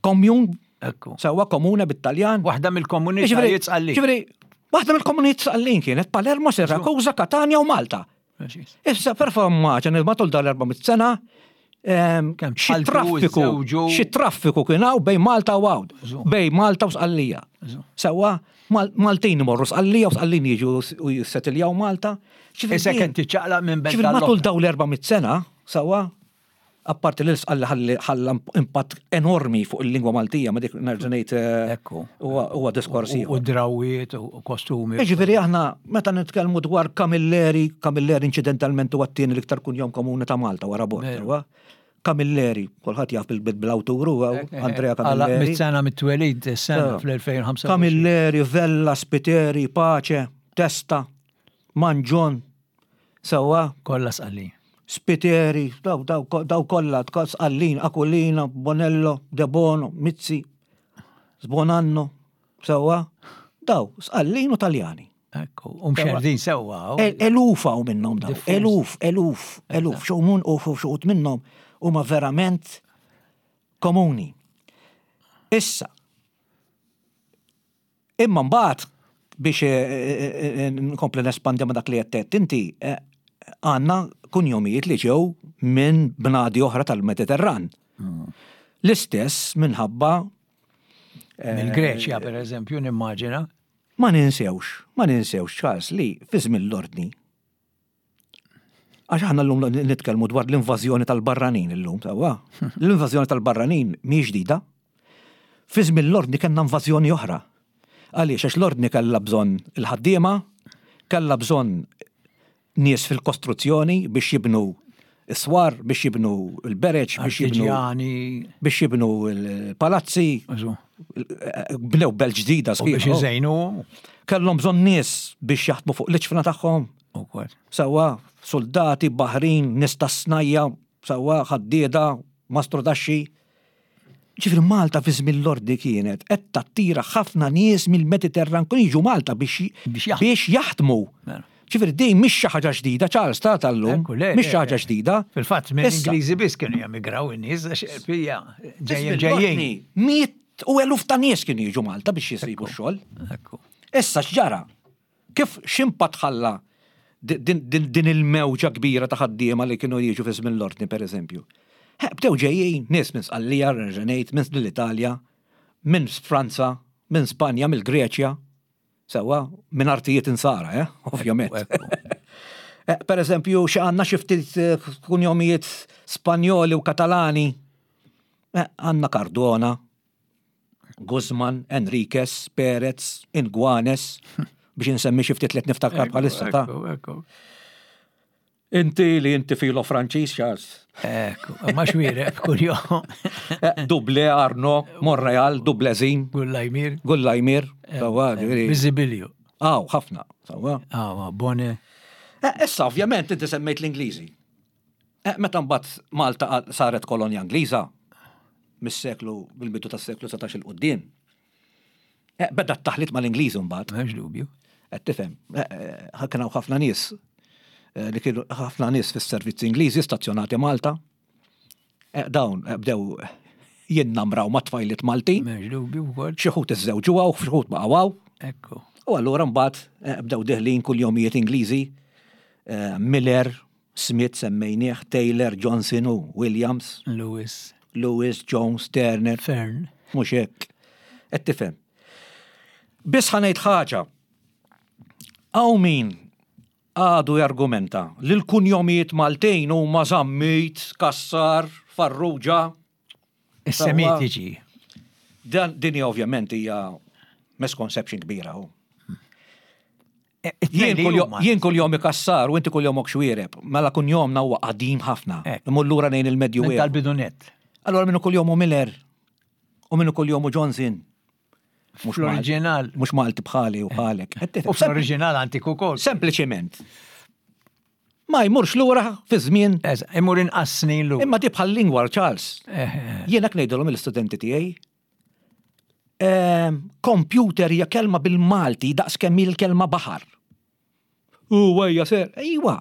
komjun, Ekku. sewwa komune bit-Taljan. Waħda mill-komunitajiet Sqallin. Ġifieri, waħda mill-komunitajiet Sqallin kienet Palermo, Sirakuza, Katania u Malta. Preċiż. Issa performaċa matul dal-erba' mitt sena ehm, Kemm xi tħalltu, traffiku, iżżewġu. xi traffiku kien hawn bejn Malta u Għawd, Żu. bejn Malta u Sqallija. Żu. Sewwa Mal- Maltin imorru Sqallija u Sqallin jiġu u jissetiljaw Malta. Ġifieri Issa din- kien tiċċaqlaq minn belt Ġifieri matul għall-oħra. daw l-erba' mitt sena, sewwa, apparti li l-Sqalli ħalli ħalla impatt enormi fuq il-lingwa Maltija, ma dik nerġa' ngħid eh, Ekku. huwa huwa diskors U ieħor. u drawiet u kostumi. Ġifieri aħna meta nitkellmu dwar Camilleri, Camilleri incidentalment huwa t-tieni l-iktar kunjom komuni ta' Malta wara Borg, Veru. sewwa. Camilleri, kulħadd jaf bil- bil-awtur huwa Andrea Għala Camilleri. mit sena mit-twelid sena Sewa. fl-elfejn u ħamsa u għoxrin. Camilleri, Vella, Spiteri, Pace, Testa, Manġon, sewwa, Kollha Sqallin. Spiteri, daw, daw, daw kollha, Sqallin, Aquilina, Bonello, De Bono, Mizzi, Sbonanno, sewwa, daw, Sqallin u Taljani. Ekku. U mxerdin sewwa. u- El- Eluf hawn minnhom daw, Diffuż. eluf, eluf, eluf, xewmun u xuqut minnhom huma verament komuni. Issa, imma mbagħad biex eh, eh, eh, nkompli nespandi ma dak li qed tgħid inti, eh, għandna kunjomijiet li ġew minn bnadi oħra tal-Mediterran. L-istess minħabba Mill-Greċja, per eżempju, nimmaġina. Ma ninsewx, ma ninsewx, Charles, li fi żmien l-ordni. Għax aħna llum nitkellmu dwar l-invażjoni tal-barranin illum, sewwa. L-invażjoni tal-barranin mhix ġdida. Fi żmien l-ordni kellna invażjoni oħra. Għaliex għax l-ordni kellha bżonn il-ħaddiema, kellha bżonn nies fil-kostruzzjoni biex jibnu s-swar, biex jibnu l-bereġ, biex jibnu Artiġjani. biex jibnu l-palazzi, Eżu. bnew belt ġdida U biex sħiħa. iżejnu. Kellhom bżonn nies biex jaħdmu fuq l-iġfna tagħhom. U kol. Sewwa, soldati, baħrin, nies tas-snajja, sewwa, ħaddieda, mastrudaxxi. Ġifieri Malta fi żmien l-ordni kienet qed tattira ħafna nies mill-Mediterran kun jiġu Malta biex Biex jaħdmu. biex jaħdmu. Mela. Ġifieri din mhix xi ħaġa ġdida, Charles ta' tal-lum, Ekku, le, mhix le, xi ħaġa le. ġdida. Fil-fatt, Issa, mill-Ingliżi biss kienu jemigraw in-nies, għax fija, ġejjin fi żmien ġejjin. l-ordni, Miet u eluf ta' nies kienu jiġu Malta biex jisibu x-xogħol. Ekku. Issa x'ġara? Kif x'impatt ħalla din, din, din il-mewġa kbira ta' ħaddiema li kienu jiġu fi żmien l-ordni pereżempju? He, Bdew ġejjin nies minn Sqallija, nerġa' minn l-Italja, minn Franza, minn Spanja, mill-Greċja, sewwa, minn artijiet insara, eh? Ovvjament. Ekku. Eh, Per eżempju, xi għandna xi ftit eh, kunjomijiet Spanjoli u Katalani. Eh, Għandna Cardona, Guzman, Enriquez, Perez, Inguanes, biex insemmi xi ftit li qed niftakar bħalissa ta' Ekku, ekku. Inti li inti filo Franċiż, Charles. Ekku, ma Xuereb kuljom. Eh, Duble Arno, Monreal, Dublezin, Gullajmir. Gullajmir, sewwa, ġifieri. Bizibilju. Aw, ħafna, sewwa. Ah, Bone. Eh, Issa, ovvjament, inti semmejt l-Ingliżi. Eh, Meta mbagħad Malta għad- saret kolonja Ingliża, mis-seklu, bil-bidu tas-seklu satax 'il quddiem. Eh, Beda t-taħlit mal-Ingliżi mbagħad. M'hemmx dubju. Qed tifhem, eh, eh, kien hawn ħafna nies eh, li kienu ħafna nies fis-servizzi Ingliżi stazzjonati Malta. Eh, Dawn eh, bdew jinnamraw ma' tfajliet Maltin, M'hemmx dubju wkoll. xi wħud iżżewġuha u xi wħud baqgħu hawn. Ekku. U allura mbagħad eh, bdew deħlin kunjomijiet Ingliżi, eh, Miller, Smith semmejnieh, Taylor, Johnson u Williams, Lewis. Lewis, Jones, Turner, Fern. mhux hekk. Qed tifhem. Biss ħa ngħid ħaġa. Hawn min għadu jargumenta li l-kunjomijiet Maltin huma Zammit, Kassar, Farrugia. Is-Semitiċi. Dan din hija ovvjament hija misconception kbira. hu. Jien kuljom- Jien kunjomi Kassar u inti kunjomok Xuereb, mela kunjomna huwa qadim ħafna. Ek. Imur lura lejn il-Medju Minn tal-bidunet. Allora minnu kunjomu Miller u minnu kunjomu Johnson. Mhux Malti- Fl-oriġinal. Mhux Malti bħali u bħalek. U fl-oriġinal antiku kol. Sempliċement. Ma jmurx lura fi żmien. Imur inqas snin lura. Imma di bħal lingwa Charles. Eh, eh. Jiena ngħidilhom l-istudenti tiegħi. Ehm, computer hija kelma bil-Malti daqs kemm il-kelma baħar. U ejja ser, ejwa.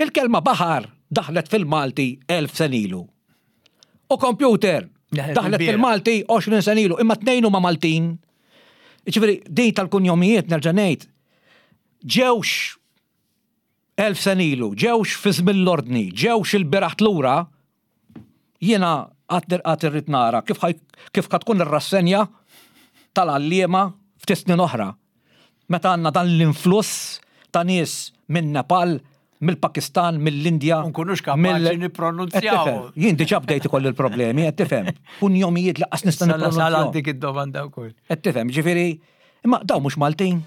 Il-kelma baħar daħlet fil-Malti elf sena ilu. U computer daħlet fil-Malti għoxrin sena ilu, imma tnejn huma Maltin. Ġifieri din tal-kunjomijiet nerġa' ngħid ġewx elf sena ilu, ġewx fi żmien l-ordni, ġewx il-bieraħ lura, jiena għad irrid nara kif kif tkun ir-rassenja tal-għalliema ftit snin oħra. Meta għandna dan l-influss ta' nies minn Nepal, mill-Pakistan, mill-Indja. Nkunux kapaċi nippronunzjaw. Jien diġà bdejt ikolli l-problemi, qed tifhem. Kunjomijiet lanqas nista' nippronunzjaw. Dik id-domanda wkoll. Qed tifhem, ġifieri, imma daw mhux Maltin.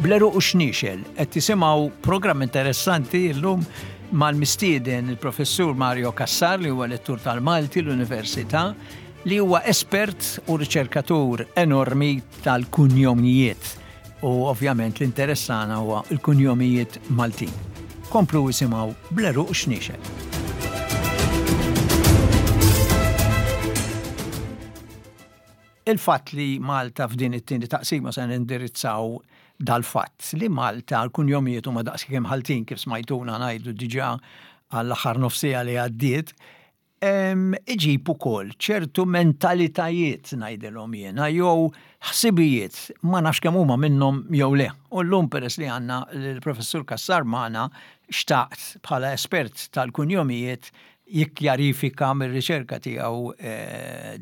Bl-għeruq u xniexel, qed tisimgħu programm interessanti llum mal-mistieden il-professur Mario Cassar li huwa lettur tal-Malti l-Università li huwa espert u riċerkatur enormi tal-kunjomijiet u ovvjament l-interessana huwa l-kunjomijiet Maltin. Komplu isimgħu Bl-għeruq u xniexel. Il-fatt li Malta f'din it-tieni taqsima se nindirizzaw dal-fatt li Malta l-kunjomijiet huma daqs kemm ħaltin kif smajtuna ngħidu diġà għall-aħħar nofsija li għaddiet, iġib ukoll ċertu mentalitajiet ngħidilhom jiena jew ħsibijiet ma nafx kemm huma minnhom jew le. U llum peress li għandna l-professur Cassar magħna xtaqt bħala espert tal-kunjomijiet jikkjarifika mir-riċerka tiegħu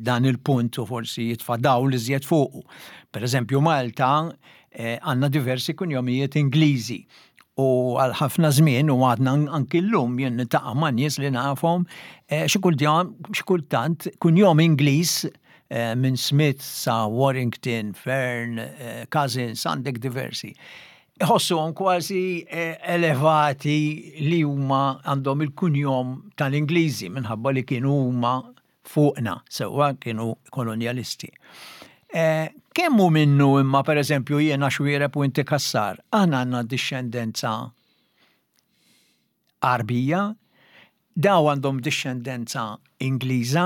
dan il-punt u forsi jitfa' dawl iżjed fuqu. Per eżempju Malta għandna diversi kunjomijiet Ingliżi u għal ħafna żmien u għadna anki llum jien niltaqa' ma' nies li nafhom xi kultant kunjom Ingliż minn Smith sa Warrington, Fern, Cousins, għandek diversi. Iħossuhom kważi elevati li huma għandhom il-kunjom tal-Ingliżi minħabba li kienu huma fuqna, sewwa kienu kolonjalisti. Kemm hu minnu imma per eżempju jiena Xuereb u inti Cassar, aħna għandna dixxendenza Għarbija, daw għandhom dixxendenza Ingliża,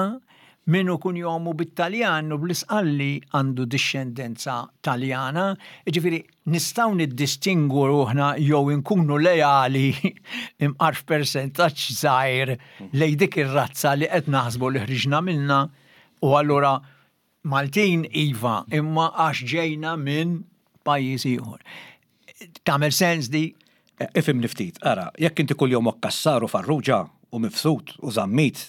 minnu kunjomu bit-Taljan u bl-Isqalli għandu dixxendenza Taljana, ġifieri nistgħu niddistingu ruħna jew inkunu lejali imqar f'persentaġġ żgħir lejn dik ir-razza li qed naħsbu li ħriġna minnha u allura Maltin iva, imma għax ġejna minn pajjiż ieħor. Tagħmel sens di? Ifhimni ftit, ara, jekk inti kuljomok Cassar u Farrugia u Mifsud u Zammit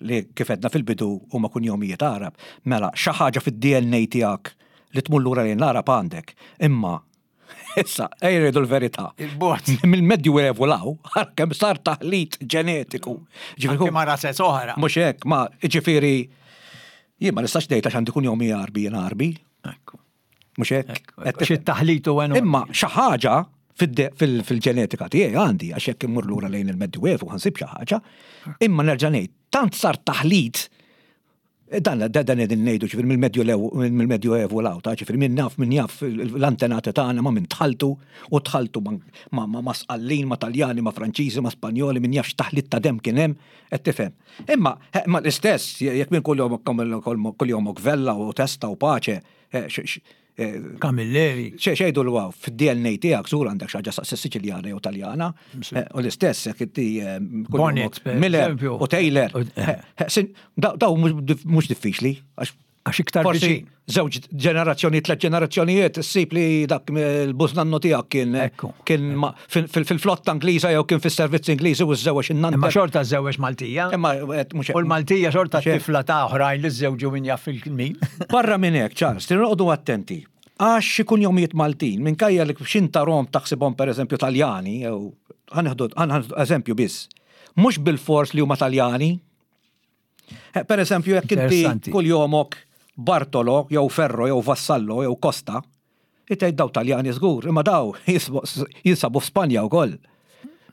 li kif għedna fil-bidu huma kunjomijiet Arab, mela xi ħaġa fid-D N A tiegħek li tmur lura lejn l-Arab għandek, imma issa ejja rridu l-verità. Il-bot. Mill-Medju Evu law, kemm sar taħlit ġenetiku. Ġifieri ma razez oħra. Mhux hekk, ma ġifieri jien ma nistax ngħid għax għandi kunjomi Għarbi jien Għarbi. Ekku. Mhux hekk. Xi taħlit u enormi. Imma xi ħaġa fil-ġenetika tiegħi għandi għax jekk immur lura lejn il-Medju Evu ħansib xi ħaġa. Imma nerġa' ngħid, tant sar taħlit dan dan qegħdin ngħidu ġifieri mill-Medju mill-Medju Evu law ta' ġifieri min naf min jaf l-antenati tagħna ma' min tħaltu u tħaltu ma' ma' Sqallin, ma' Taljani, ma' Franċiżi, ma' Spanjoli, min jaf x'taħlit ta' dem kien hemm, qed tifhem. Imma imma l-istess jekk min kuljomok Vella u Testa u Pace, Camilleri. Xejdu l-waw, fid-D N A tiegħek żur għandek xi ħaġa Siċiljana jew Taljana, u l-istess jekk inti Bonnet, per Miller eżempju. u Taylor. Daw mhux diffiċli, għax Għax iktar forsi viċin. żewġ ġenerazzjoni, tliet ġenerazzjonijiet, issib li dak il-bużnannu tiegħek kien Ekku. kien ma-, fil-, fil-, fil-flotta Ingliża jew kien fis-servizz Ingliżi u żewġ in-nanta. Imma xorta żewġ Maltija. Imma, qed, mhux U l-Maltija xorta mhux hekk. tifla ta' oħrajn li żewġu min jaf fil-min. Barra minn hekk, Charles, trid noqogħdu attenti. Għax xi kunjomijiet Maltin, minkejja li x'inta Rom taħsibhom pereżempju Taljani, jew ħanieħdu, ħanieħdu eżempju biss. Mhux bil-fors li huma Taljani. Eh, per eżempju, jekk inti Interessanti. kuljomok Bartolo, jew Ferro, jew Vassallo, jew Costa, itgħid daw Taljani żgur, imma daw jisbu-, jinsabu f'Spanja wkoll.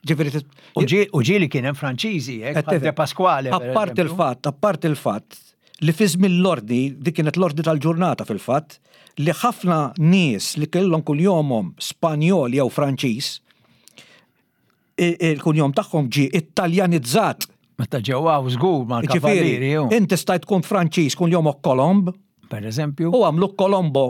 Ġifieri tis- U ġi-, u ġieli kien hemm Franċiżi, hekk, Qed bħal tifhem. De Pasquale, per Apart eżempju. il-fatt, apart il-fatt Li fi żmien l-ordni, dik kienet l-ordni tal-ġurnata fil-fatt, li ħafna nies li kellhom kunjomhom Spanjol jew Franċiż, il-kunjom tagħhom ġie Italjanizzat. Meta ġew hawn żgur mal-kavallieri. Inti stajt tkun Franċiż kunjomok Colomb. Per eżempju. U għamlu Colombo.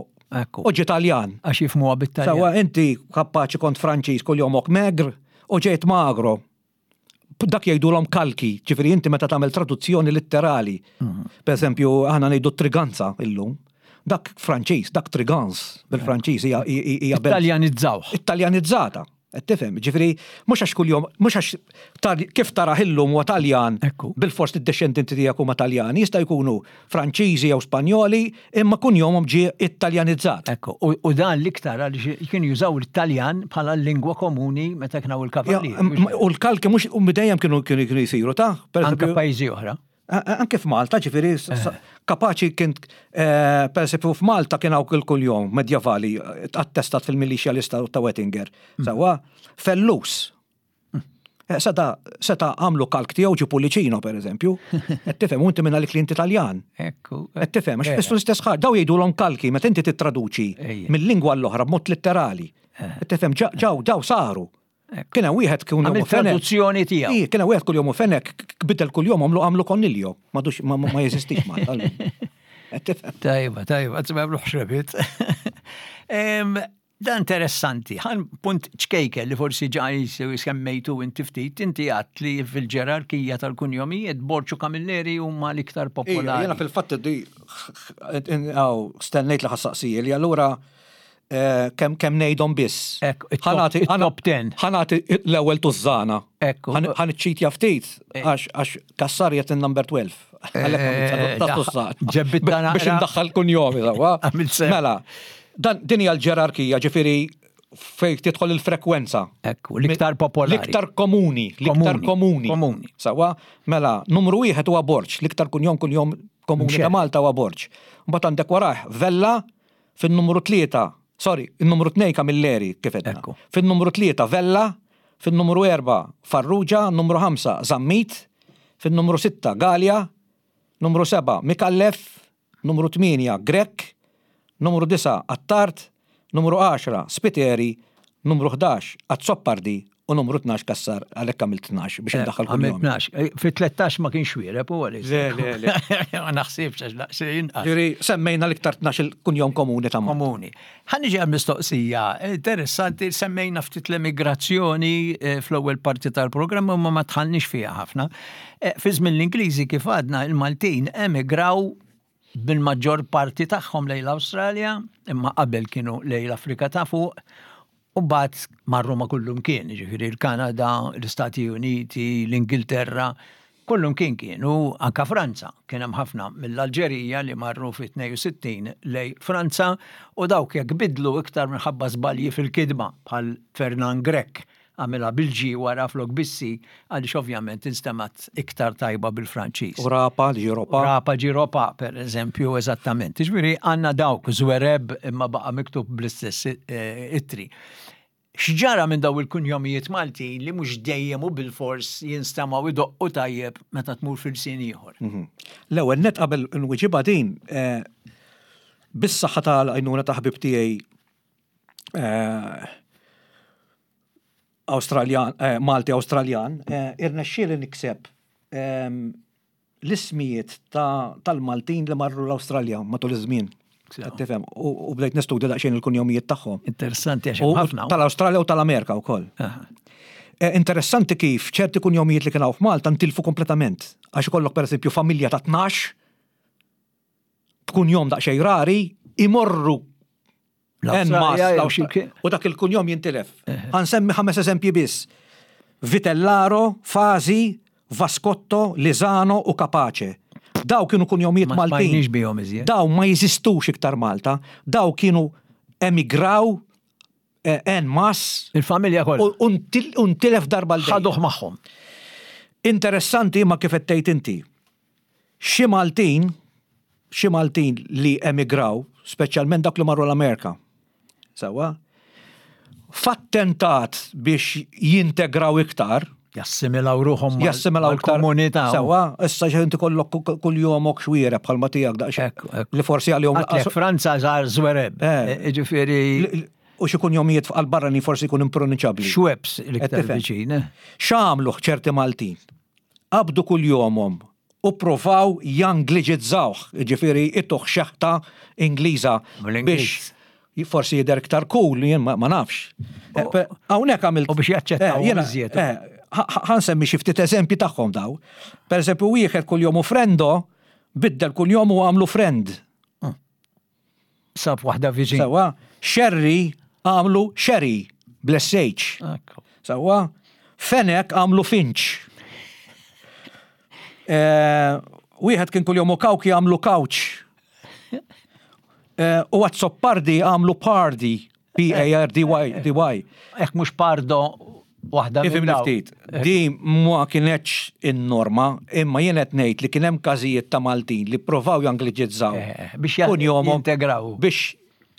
U ġie Taljan. Għax jifhmuha bit-Taljan. Sawa inti kapaċi kont Franċiż kunjomok Megr u ġejt Magro. Dak jgħidulhom kalki, ġifieri inti meta tagħmel traduzzjoni litterali. Per eżempju, aħna ngħidu Triganza illum. Dak Franċiż, dak Trigans bil-Franċiż hija hija Italjanizzawh. Italjanizzata. Qed tifhem, ġifieri mhux għax kuljum, mhux għax kif tara illum huwa Taljan bil-fors id-dixxendenti tiegħek huma Taljani, jista' jkunu Franċiżi jew Spanjoli, imma kunjomhom ġie Italjanizzat. Ekku, u dan l-iktar għaliex kienu jużaw l-Italjan bħala l-lingwa komuni meta kienu il-kavallieri. U l-kalki mhux u dejjem kienu kienu jsiru ta' anke pajjiżi oħra. Anke f'Malta, ġifieri, kapaċi kien, per esempio, f'Malta kien hawn il-kunjom medjevali attestat fil-Militia Lista ta' Wettinger. Sawa, Fellus. Seta, seta għamlu kalk tiegħu ġie Pullicino, per eżempju. Qed tifhem, u inti minn għalik li inti Taljan. Ekku. Qed tifhem, għax fissu l-istess ħaġa, daw jgħidulhom kalki meta inti tittraduċi mill-lingwa l-oħra b'mod litterali. Qed tifhem, ġaw daw saru. Kien hemm wieħed kun Għamil traduzzjoni tiegħu. Ij, kien hemm wieħed kuljom Fenek, bidel kuljom għamlu għamlu Coniglio. M'għadux ma jeżistix Malta. Tajba, tajba, għazma xrebit. Da interessanti, ħan punt ċkejken li forsi ġaj semmejtu inti ftit, inti għat li fil-ġerarkija tal-kunjomijiet Borg u Camilleri huma l-iktar popolari. Jena fil-fatt di stennejt li ħa ssaqsija li allura kemm kemm ngħidhom biss. Top ten. Ħa nagħti l-ewwel tużżana. Ekku. Ħa niċċitja ftit għax għax Cassar jgħid in-number twelve. Ġebbit. Biex indaħħal kunjomi sawa. Mela, dan din hija l-ġerarkija, ġifieri fejn tidħol il-frekwenza. Ekku, l-iktar popolari. L-iktar komuni, l-iktar komuni. Komuni. Sawa, mela, numru wieħed huwa Borg, l-iktar kunjom kunjom komuni ta' Malta huwa Borg. Mbagħad għandek warah Vella fin-numru tlieta. Sorry, il-numru tnejn Camilleri kif edna. Fin-numru tlieta Vella, fin-numru erba' Farrugia, numru ħamsa Zammit, fin-numru sitta Galea, numru seba' Micallef, numru tmienja Grech, numru disa' Attard, numru għaxra Spiteri, numru ħdax Azzopardi u numru tnax Cassar, għalhekk għamilt tnax biex indaħħal kull Għamilt tnax. Fi tlettax ma kienx wiereb u għalix. Le, le, le. Ma naħsibx għax daqs inqas. Ġifieri, semmejna l-iktar tnax il-kunjom komuni ta' Malta. Komuni. Ħa niġi għal mistoqsija, interessanti, semmejna ftit l-emigrazzjoni fl-ewwel parti tal-programm u ma dħalniex fiha ħafna. Fi żmien l-Ingliżi kif għadna il-Maltin emigraw bil-maġġor parti tagħhom lejn l-Awstralja, imma qabel kienu lejn l-Afrika ta' fuq, u mbagħad marru ma' kullum kien, ġifieri l-Kanada, l-Istati Uniti, l-Ingilterra, kullum kien kienu, anka Franza, kien hemm ħafna mill-Alġerija li marru fi tnejn u sittin lej Franza u dawk jekk bidlu iktar minħabba żbalji fil-kidma bħal Fernand Grech għamilha bil-G wara flok bis-C għaliex ovvjament instemat iktar tajba bil-Franċiż. U Rapa, ġie Ropa. Rapa ġie Ropa, per eżempju, eżattament. Ġifieri għandna dawk Zwereb imma baqa' miktub bl-istess ittri. X'ġara minn daw il-kunjomijiet Malti li mhux dejjem u bil-fors jinstamaw idoqqu tajjeb meta tmur fil-sin ieħor? L-ewwel net qabel nwiġibha din, bis-saħħa tal-għajnuna ta' ħbib tiegħi Awstraljan, Malti Awstraljan, irnexxieli nikseb l-ismijiet tal-Maltin li marru l-Awstralja matul iż-żmien. Tifhem, u bdejt nistudja daqsxejn il-kunjomijiet tagħhom. Interessanti għax hemm ħafna. Tal-Awstralja u tal-Amerika wkoll. Interessanti kif ċerti kunjomijiet li kienu f'Malta ntilfu kompletament. Għax ikollok pereżempju familja ta' tnax b'kunjom daqsxejn rari imorru u dak il-kunjom jintilef. Ħa nsemmi ħames eżempji biss. Vitellaro, Fazi, Vascotto, Lizano u Capace. Daw kienu kunjomijiet Maltin. Daw ma jeżistux iktar Malta. Daw kienu emigraw en masse. Il-familja kollha. U ntilef darba l Ħaduh magħhom. Interessanti ma kif qed tgħid inti. Xi Maltin, xi Maltin li emigraw, speċjalment dak li marru l-Amerika. Sawa? F'attentat biex jintegraw iktar, Jassimilaw ruħhom Jassimilaw iktar komunità. Sewwa, issa xi inti kollok kull jomok Xwiereb bħalma tiegħek daqsxejn. Li forsi għalihom. Għatlek Franza żar Zwereb. Eh. Ġifieri. U xi kunjomijiet għal barrani forsi jkun impronunċabbli. Schweppes l-iktar viċin. Eh. X'għamlu ċerti Maltin? Qabdu kunjomhom u provaw jangliġizzawh, ġifieri ituh xeħta Ingliża biex forsi jidher iktar cool, jien ma nafx. Eh, hawnhekk għamilt. U biex jaċċettaw eh, iżjed. Eh, ħa nsemmi xi ftit eżempji tagħhom daw. Per eżempju, wieħed kunjomu Frendo biddel kunjomu għamlu Friend. Hmm. Sab waħda viċin. Sewwa, Sherry għamlu Sherry, bl-S H. Sewwa, Fenek għamlu Finch. Wieħed kien kunjomu Kawki għamlu Couch. U Azzopardi għamlu Pardy, P A R D Y. D Y. Ek mhux Pardo waħda. Ifhimni ftit. Di ma kienetx in-norma, imma jien qed ngħid li kien hemm każijiet ta' Maltin li provaw jangliġizzaw. Eh, biex jintegraw. Biex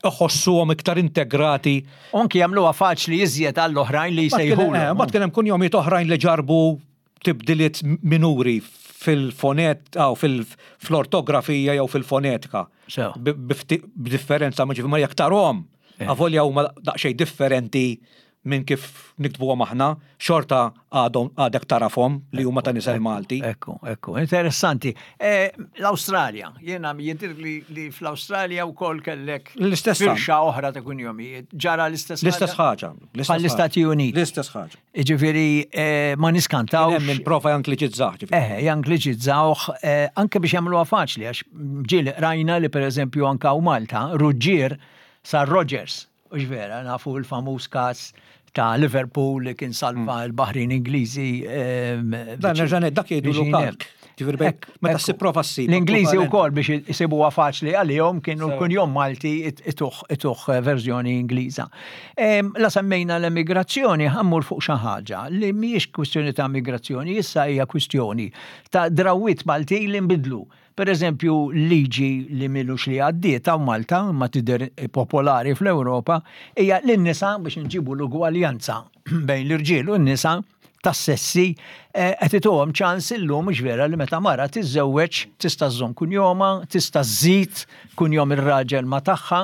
iħossuhom iktar integrati. Anki jagħmluha faċli iżjed għall-oħrajn li jsejħu. Mbagħad kien hemm kunjomijiet oħrajn li ġarbu tibdiliet minuri fil-fonet, aw fil-ortografija jew fil-fonetika. B'differenza ma ġifieri ma jekk tarahom, Eh. avolja huma daqsxejn differenti minn kif niktbuhom aħna, xorta għadhom għadek tarafhom li huma ta' nisel Malti. Ekku, ekku, interessanti. Eh, L-Awstralja, jiena jidir li, li fl-Awstralja wkoll kellek L-istess firxa oħra ta' kunjomijiet. Ġara l-istess L-istess ħaġa. Bħall-Istati Uniti. L-istess ħaġa. Ġifieri, eh, ma niskantawx. Hemm min prova jangliġizzah. ġifieri. Eh, jangliġizzawh, eh, anke biex jagħmluha faċli, għax ġieli rajna li per eżempju anka u Malta, Ruġġier sar Rogers. U vera, nafu l-famuż każ ta' Liverpool li kien salva l-Baħrin Ingliżi. ehm, Dan nerġa' ngħid, dak jgħidu biex kalk. Ġifieri bejn- Ekk, meta ekku. ssib prova ssib. L-Ingliżi ekwivalent. wkoll biex isibuha faċli għalihom kienu Sew. kunjom Malti it- ituh ituh verżjoni Ingliża. Em, La semmejna l-emigrazzjoni, ħa mmur fuq xi ħaġa li mhijiex kwistjoni ta' migrazzjoni, issa hija kwistjoni ta' drawwiet Malti li nbidlu. Per eżempju, liġi li m'ilux li għaddiet ta' Malta, ma tidher popolari fl-Ewropa, hija l-nisa biex nġibu l-ugwaljanza bejn l-irġiel u n-nisa tas-sessi, eh, qed ituhom ċans illum, mhux vera, li meta mara tiżżewweġ tista' żżomm kunjoma, tista' żżid kunjom ir-raġel ma tagħha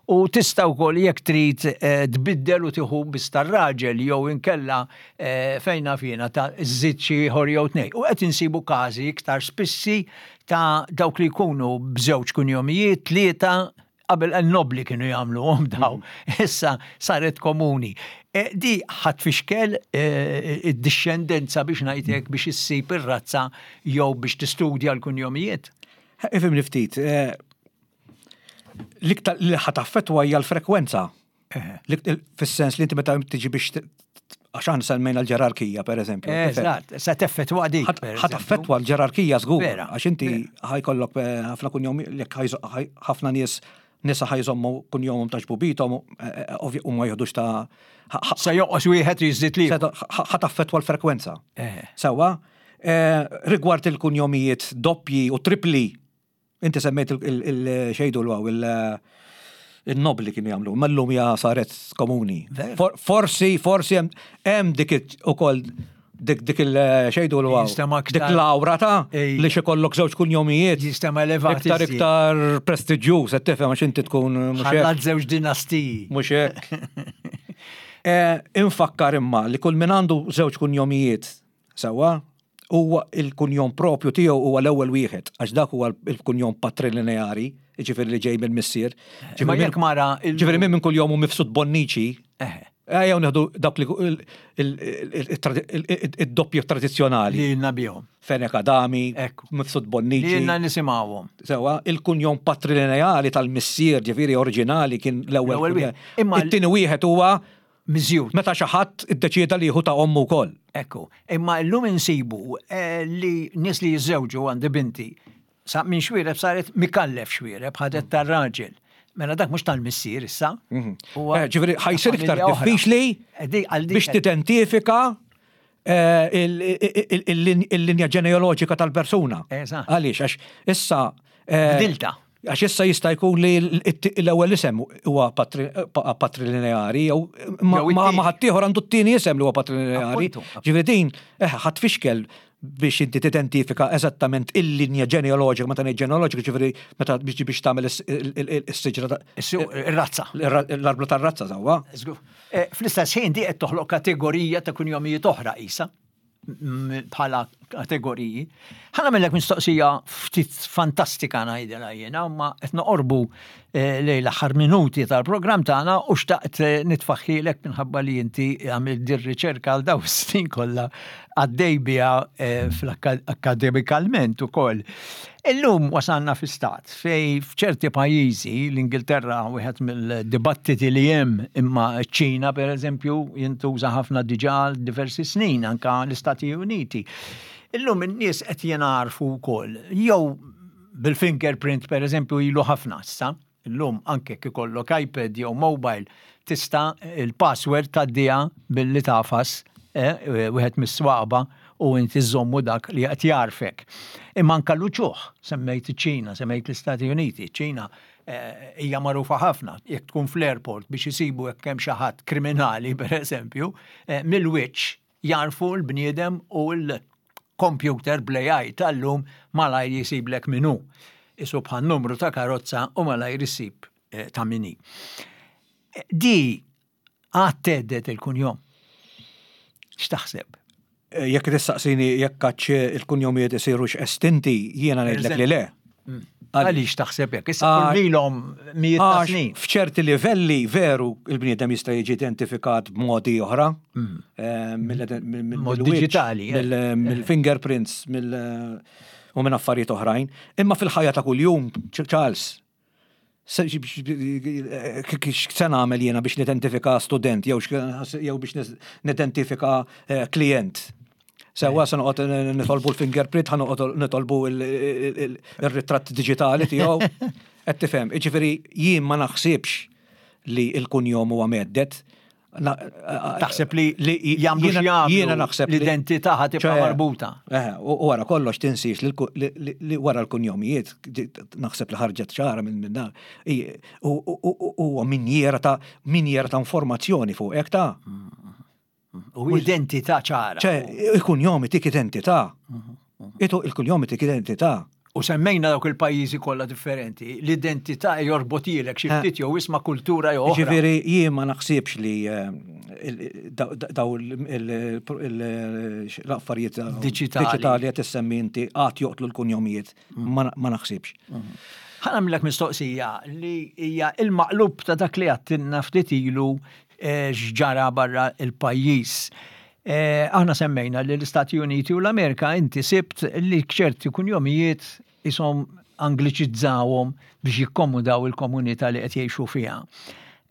u tista' wkoll jekk trid eh, tbiddel u tieħu biss tar-raġel jew inkella eh, fejna fina ta' żżid xi ieħor jew tnejn. U qed insibu każi iktar spissi ta' dawk li jkunu b'żewġ kunjomijiet, tlieta, qabel n-nobli kienu jagħmluhom daw, issa saret komuni. E, di ħadd fixkel e, id-dixxendenza biex ngħidlek biex issib ir-razza jew biex tistudja l-kunjomijiet. Ifhimni ftit, eh, l-iktar li ħa taffettwa hija l-frekwenza. L-iktar- Fis-sens li inti meta tiġi biex t- għax aħna semmejna l-ġerarkija, per eżempju. Eżatt, se teffettwa dik. per ħa eżempju. taffettwa l-ġerarkija żgur. Vera, Għax inti ħa jkollok eh, ħafna kunjom, jekk ħajzo- ħaj- ħafna nies nisa ħa jżommu kunjomhom ta' ġbubithom eh, eh, ovvja u ma jieħdux ta' ħa- ħa- Se joqos wieħed jiżdied li. ħa taffettwa l-frekwenza. Eh. Sewwa, eh, rigward il-kunjomijiet doppji u tripli, inti semmejt il-xejdu l-għaw, il-nobli kienu jagħmlu, ma llum hija saret komuni. Vera. For- Forsi, forsi hemm- hemm dik ukoll dik dik il-xejdu l-għaw. Jistema Dik aktar- l-awra ta' Ej. li xikollok żewġ kunjomijiet. Jistema elevat Iktar iżjed. iktar prestiġjuż, qed tifhem, għax inti tkun mhux hekk. Ħallat żewġ dinastiji. Mhux hekk. Eh, Infakkar imma li kull min għandu żewġ kunjomijiet sewwa, huwa il-kunjom propju tiegħu huwa l-ewwel wieħed, għax dak huwa il-kunjom patrilineari, jiġifieri li ġej mill-missier. Ma jekk mara il- Ġifieri min minn kuljom hu Mifsud Bonnici. Eh. Ejjew nieħdu dak li id-doppju tradizzjonali. Li jilna bihom. Fenek Adami, Ekku. Mifsud Li Bonnici. jilna nisimgħuhom. Sewwa, il-kunjom patrilineali tal-missier, ġifieri oriġinali, kien l-ewwel. L-ewwel kunjom. wieħed. Imma l- It-tieni wieħed huwa Miżjud. meta xi ħadd iddeċieda li jieħu ta' ommu wkoll. Ekku, imma llum insibu eh, li nies li jiżżewġu, għandi binti, sa minn Xwiereb saret Mikallef Xwiereb, ħadet tar-raġel. Mela dak mhux tal-missier issa. Huwa Eh, Ġifieri ħa jsir iktar familja oħra. diffiċli Eh, di- għal dik- biex tidentifika eh, il- il- il- il-linja ġenealoġika tal-persuna. Eżatt. Għaliex, għax issa. eh, Bdilta. Għax issa jista' jkun li l-ewwel isem huwa patrilineari jew ma ħaddieħor għandu t-tieni isem li huwa patrilineari. Ġifieri din eh, ħa tfixkel biex inti tidentifika eżattament il-linja ġenealoġika, meta ngħid ġenealoġika, ġifieri meta biex biex tagħmel is-siġra Ir-razza. L-arblu tar-razza sewwa. Eh, fl-istess ħin di qed toħloq kategorija ta' kunjomijiet oħra isa bħala kategoriji. Ħa nagħmillek mistoqsija ftit fantastika ngħidilha jiena, ma qed noqorbu eh, lejn l-aħħar minuti tal-programm tagħna u xtaqt eh, nitfaħħilek minħabba li inti għamilt dir riċerka għal daw snin kollha għaddej biha eh, fl-akademikalment ukoll. Illum wasalna fi stat fej f'ċerti pajjiżi, l-Ingilterra wieħed mill-dibattiti li hemm, imma ċ-Ċina, per eżempju, jintuża ħafna diġà diversi snin, anka l-Istati Uniti. Illum in-nies qed jingħarfu wkoll jew bil-fingerprint, per eżempju, ilu ħafna issa. Illum anke kif ikollok iPad jew mobile tista' il-password tgħaddiha billi tagħfas eh, wieħed mis-swaba u inti żommu dak li qed jarfek. Imma anka l-uċuħ, semmejt iċ-Ċina, semmejt l-Istati Uniti, ċina eh, hija magħrufa ħafna, jekk tkun fl-airport biex isibu jekk hemm xi ħadd kriminali, per eżempju, eh, mill-wiċċ jarfu l-bniedem u l-computer bl-A I tal-lum malajr jisiblek min hu. Isu bħal numru ta' karozza u malajr jisib eh, ta' min hi. Di għad thedded il-kunjom. X'taħseb? Eh, jekk tistaqsini jekk għadx il-kunjomijiet isirux estinti, jiena ngħidlek li le. Mm. Għaliex taħseb hekk? Issa kull ilhom mijiet ta' snin. F'ċerti livelli veru il-bniedem jista' jiġi identifikat b'modi oħra. Mm. Eh, Mod digitali. Eh. Mill-fingerprints, u minn affarijiet oħrajn. Imma fil-ħajja ta' kuljum, Charles, x'se nagħmel jiena biex nidentifika student jew biex nidentifika eh, klient? Sewwa, se noqgħod nitolbu l-fingerprint, ħa noqgħod nitolbu il-ritratt diġitali tiegħu? Qed tifhem, jiġifieri jien ma naħsibx li l-kunjom huwa mhedded. Taħseb li jagħmlu jiena naħseb l-identità ħa tibqa' marbuta. Eh, u wara kollox tinsiex li wara l-kunjomijiet naħseb li ħarġet ċara minn minn dan. Huwa minjera ta' minjera ta' informazzjoni fuq hekk ta' U identità ċara. ċe, il-kunjom tik identità. Itu il-kunjom tik identità. U semmejna dawk il-pajjiżi kollha differenti, l-identità jorbotilek xi ftit jew isma' kultura jew oħra. Ġifieri jien ma naħsibx li eh, daw l-affarijiet diġitali qed issemmi inti għad joqtlu l-kunjomijiet. Ma naħsibx. Ħa nagħmlek mistoqsija li hija il-maqlub ta' dak li għedtilna ftit ilu eh, x'ġara barra il-pajjiż. Eh, aħna semmejna li l-Istati Uniti u l-Amerika inti sibt li ċerti kunjomijiet isom angliċizzawhom biex jikkomodaw il-komunità li qed jgħixu fiha.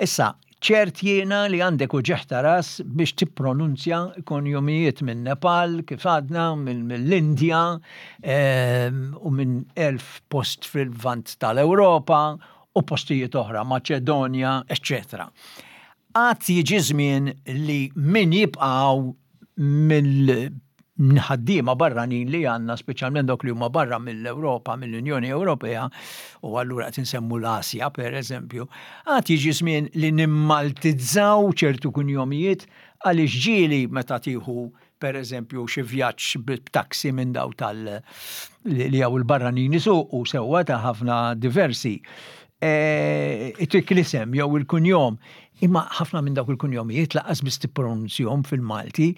Issa, ċert jiena li għandek uġigħ ta' ras biex tippronunzja kunjomijiet minn Nepal, kif għadna, mill-Indja ehm, u minn elf post fil-Lvant tal-Ewropa u postijiet oħra, Maċedonja, eccetera. Għad jiġi żmien li min jibqaw mill-ħaddiema barranin li għandna, speċjalment dawk li huma barra mill-Ewropa, mill-Unjoni Ewropea, u allura qed insemmu l-Asja, per eżempju, għad jiġi żmien li nimmaltizzaw ċertu kunjomijiet, għaliex ġieli meta tieħu, per eżempju, xi vjaġġ b'taxi minn daw tal li hawn il-barranin isuqu sewwa ta' ħafna diversi. E, Itik l-isem jew il-kunjom, imma ħafna minn dawk il-kunjomijiet lanqas biss tippronunzjahom fil-Malti,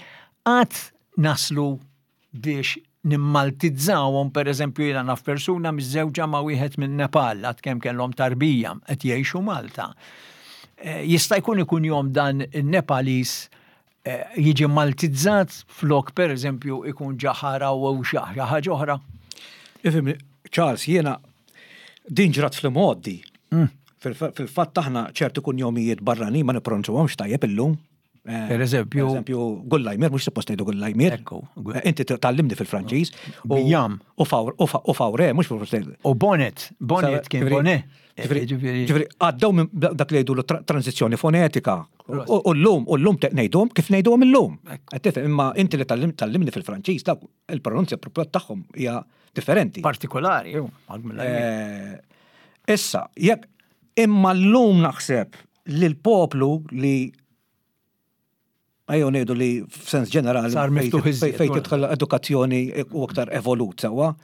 għad naslu biex nimmaltizzawhom? Per eżempju, jiena naf persuna miżżewġa ma' wieħed minn Nepal, għad kemm kellhom tarbija, qed jgħixu Malta. Eh, Jista' jkun ikun jom dan il-Nepalis eh, jiġi maltizzat flok, per eżempju, ikun ġaħara u xi ħaġa oħra. Ifhimni, Charles, jiena din ġrat fl-modi. Fil-fatt aħna ċertu kunjomijiet barranin ma nippronunzjawhomx tajjeb illum. Eh, Per eżempju? Per eżempju, Gullajmir, mhux suppost ngħidu Gullajmir. Ekku. Eh, Inti tgħallimni fil-Franċiż. U- Bijam. U Fawr- u Fa- u Fawre, mhux suppost ngħidu. U Bonnet, Bonnet kien Bonnet. Ġifieri, Ġifieri- ġifieri, għaddew minn dak li jgħidu transizzjoni fonetika. U u llum, u llum te- ngħiduhom kif ngħiduhom illum. Qed tifhem, imma inti li tgħallim- tgħallimni fil-Franċiż, dak il-pronunzja propja tagħhom hija differenti. Partikolari, ju. Eh, Issa, jekk imma llum naħseb li l-poplu li, ejjew ngħidu li f'sens ġenerali Sar miftuħ iżjed, fejn tidħol edukazzjoni u aktar evolut sewwa.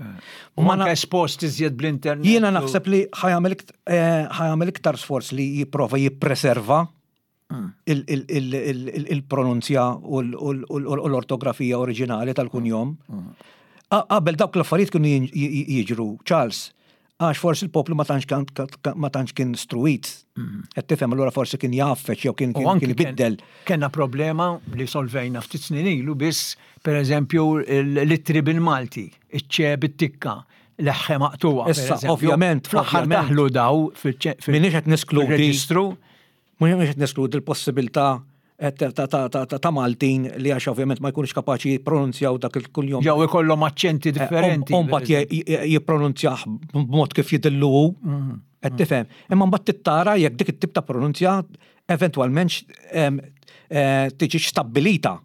U Ma manka espost iżjed bl-internet. Jiena u- naħseb li ħa jagħmel ikt- eh, ħa jagħmel iktar sforz li jipprova jippreserva il- il- il- il- il- il-pronunzja u l- u l- u l- u l-ortografija oriġinali tal-kunjom. A- Qabel dawk l-affarijiet kienu jin- j- jiġru, Charles, għax forsi il-poplu ma tantx kan- ka- ma tantx kien struit. Qed tifhem, allura forsi kien jaffeċ jew kien U kien anki kien ibiddel. Kenna problema li solvejna ftit snin ilu biss, per eżempju, l-ittri bil-Malti, iċ-ċe bit-tikka, l-eħħe maqtuwa. per Issa, eżempju. ovvjament, Fl-aħħar ovvjament. daħlu daw fil- Minix qed neskludi fil-reġistru. Mhux qed neskludi l-possibilità eh, ta' ta' ta' ta' ta' ta' Maltin li għax ovvjament ma jkunux kapaċi jippronunzjaw dak il-kunjom. Jew ikollhom aċċenti differenti. U mbagħad jippronunzjah b'mod kif jidillu hu. Qed tifhem. Imma mbagħad tittara jekk dik it-tip ta' pronunzja eventwalment em, eh, tiġi stabbilita.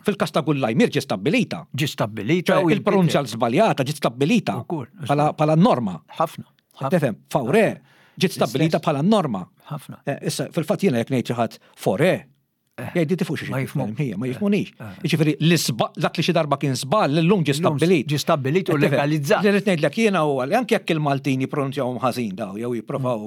Fil-każ ta' Gullajmir ġi stabbilita. Ġi stabbilita Ċe u il-pronunzja żbaljata ġiet stabbilita Ukoll, bħala bħala norma. Ħafna. ħafna, Tifhem, Fawre ġiet stabbilita bħala norma. Ħafna. Eh, Issa, fil-fatt jiena jekk ngħid xi ħadd fore, jgħidi tifu xi Ma jifhmuk. Hija, ma jifhmunix. Jiġifieri l-isba dak li xi darba kien żball illum ġie Illum stabbilit. ġie stabbilit u Qed tifhem? legalizzat. Li rrid ngħidlek jiena huwa li anke jekk il-Maltin jippronunzjawhom ħażin daw jew jipprovaw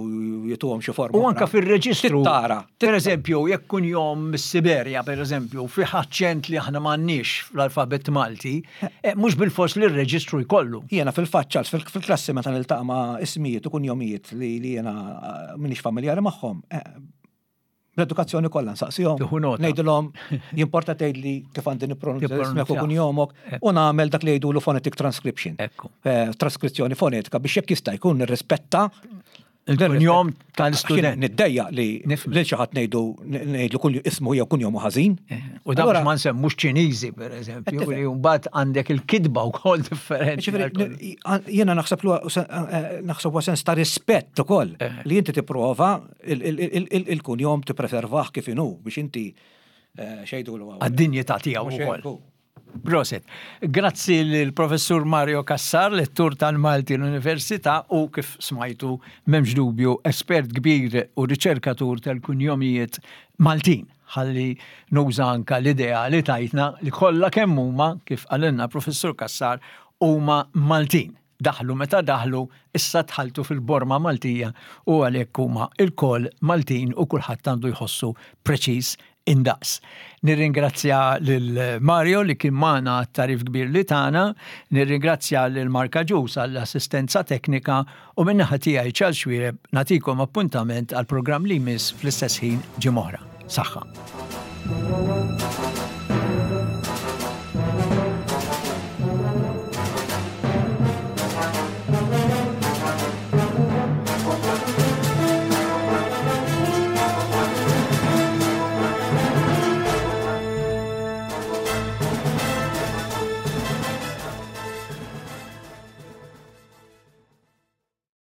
jituhom xi forma. U anka oħra. fil-reġistru. Tittara. Per eżempju, jekk kun jom mis-Siberja, per eżempju, fi aċċent li aħna m'għandniex fl-alfabet Malti, eh, mhux bil-fors li r-reġistru jkollu. Jiena fil-fatt, Charles, fil- fil-klassi meta niltaqa' ma' ismijiet u kunjomijiet li li jiena eh, m'iniex familjari magħhom. eh, L-edukazzjoni kollha nsaqsihom. Tieħu nota. Ngħidilhom jimporta tgħidli kif għandi nippronunzja ismek u Tippronunzjah. kunjomok u nagħmel dak li jgħidulu phonetic transcription. Ekku. Eh, Traskrizzjoni fonetika biex jekk jista' jkun nirrispetta Il-kunjom Għax tal-student. Niddejja li Nifhem. lil xi ħadd ngħidu ngħidlu kull ismu jew kunjomu ħażin. U da Allura- biex ma nsemmux Ċiniżi, per eżempju, Qed li mbagħad għandek il-kitba wkoll differenti. Ġifieri, jiena naħseb lu naħseb huwa sens ta' rispett ukoll Eh. li inti tipprova il- il- il- il- il-kunjom tippreservah kif inhu biex inti eh, xejdu l Għad-dinjità tiegħu Mhux wkoll. hekk hu. Prosit. Grazzi l-professur Mario Cassar, lettur tal-Malti l-Università u kif smajtu m'hemmx dubju espert kbir u riċerkatur tal-kunjomijiet Maltin. Ħalli nuża anka l-idea li tajtna li kollha kemm huma kif qalilna professur Cassar huma Maltin. Daħlu meta daħlu, issa tħaltu fil-borma Maltija u għalhekk huma il-koll Maltin u kulħadd għandu jħossu preċiż indaqs. Nirringrazzja lil Mario li kien magħna għat-tagħrif kbir li tana, nirringrazzja lil Marka Ġus għall-assistenza teknika u min-naħa tiegħi Charles Xuereb nagħtikom appuntament għal programm li jmiss fl-istess ħin ġimgħa oħra. Saħħa.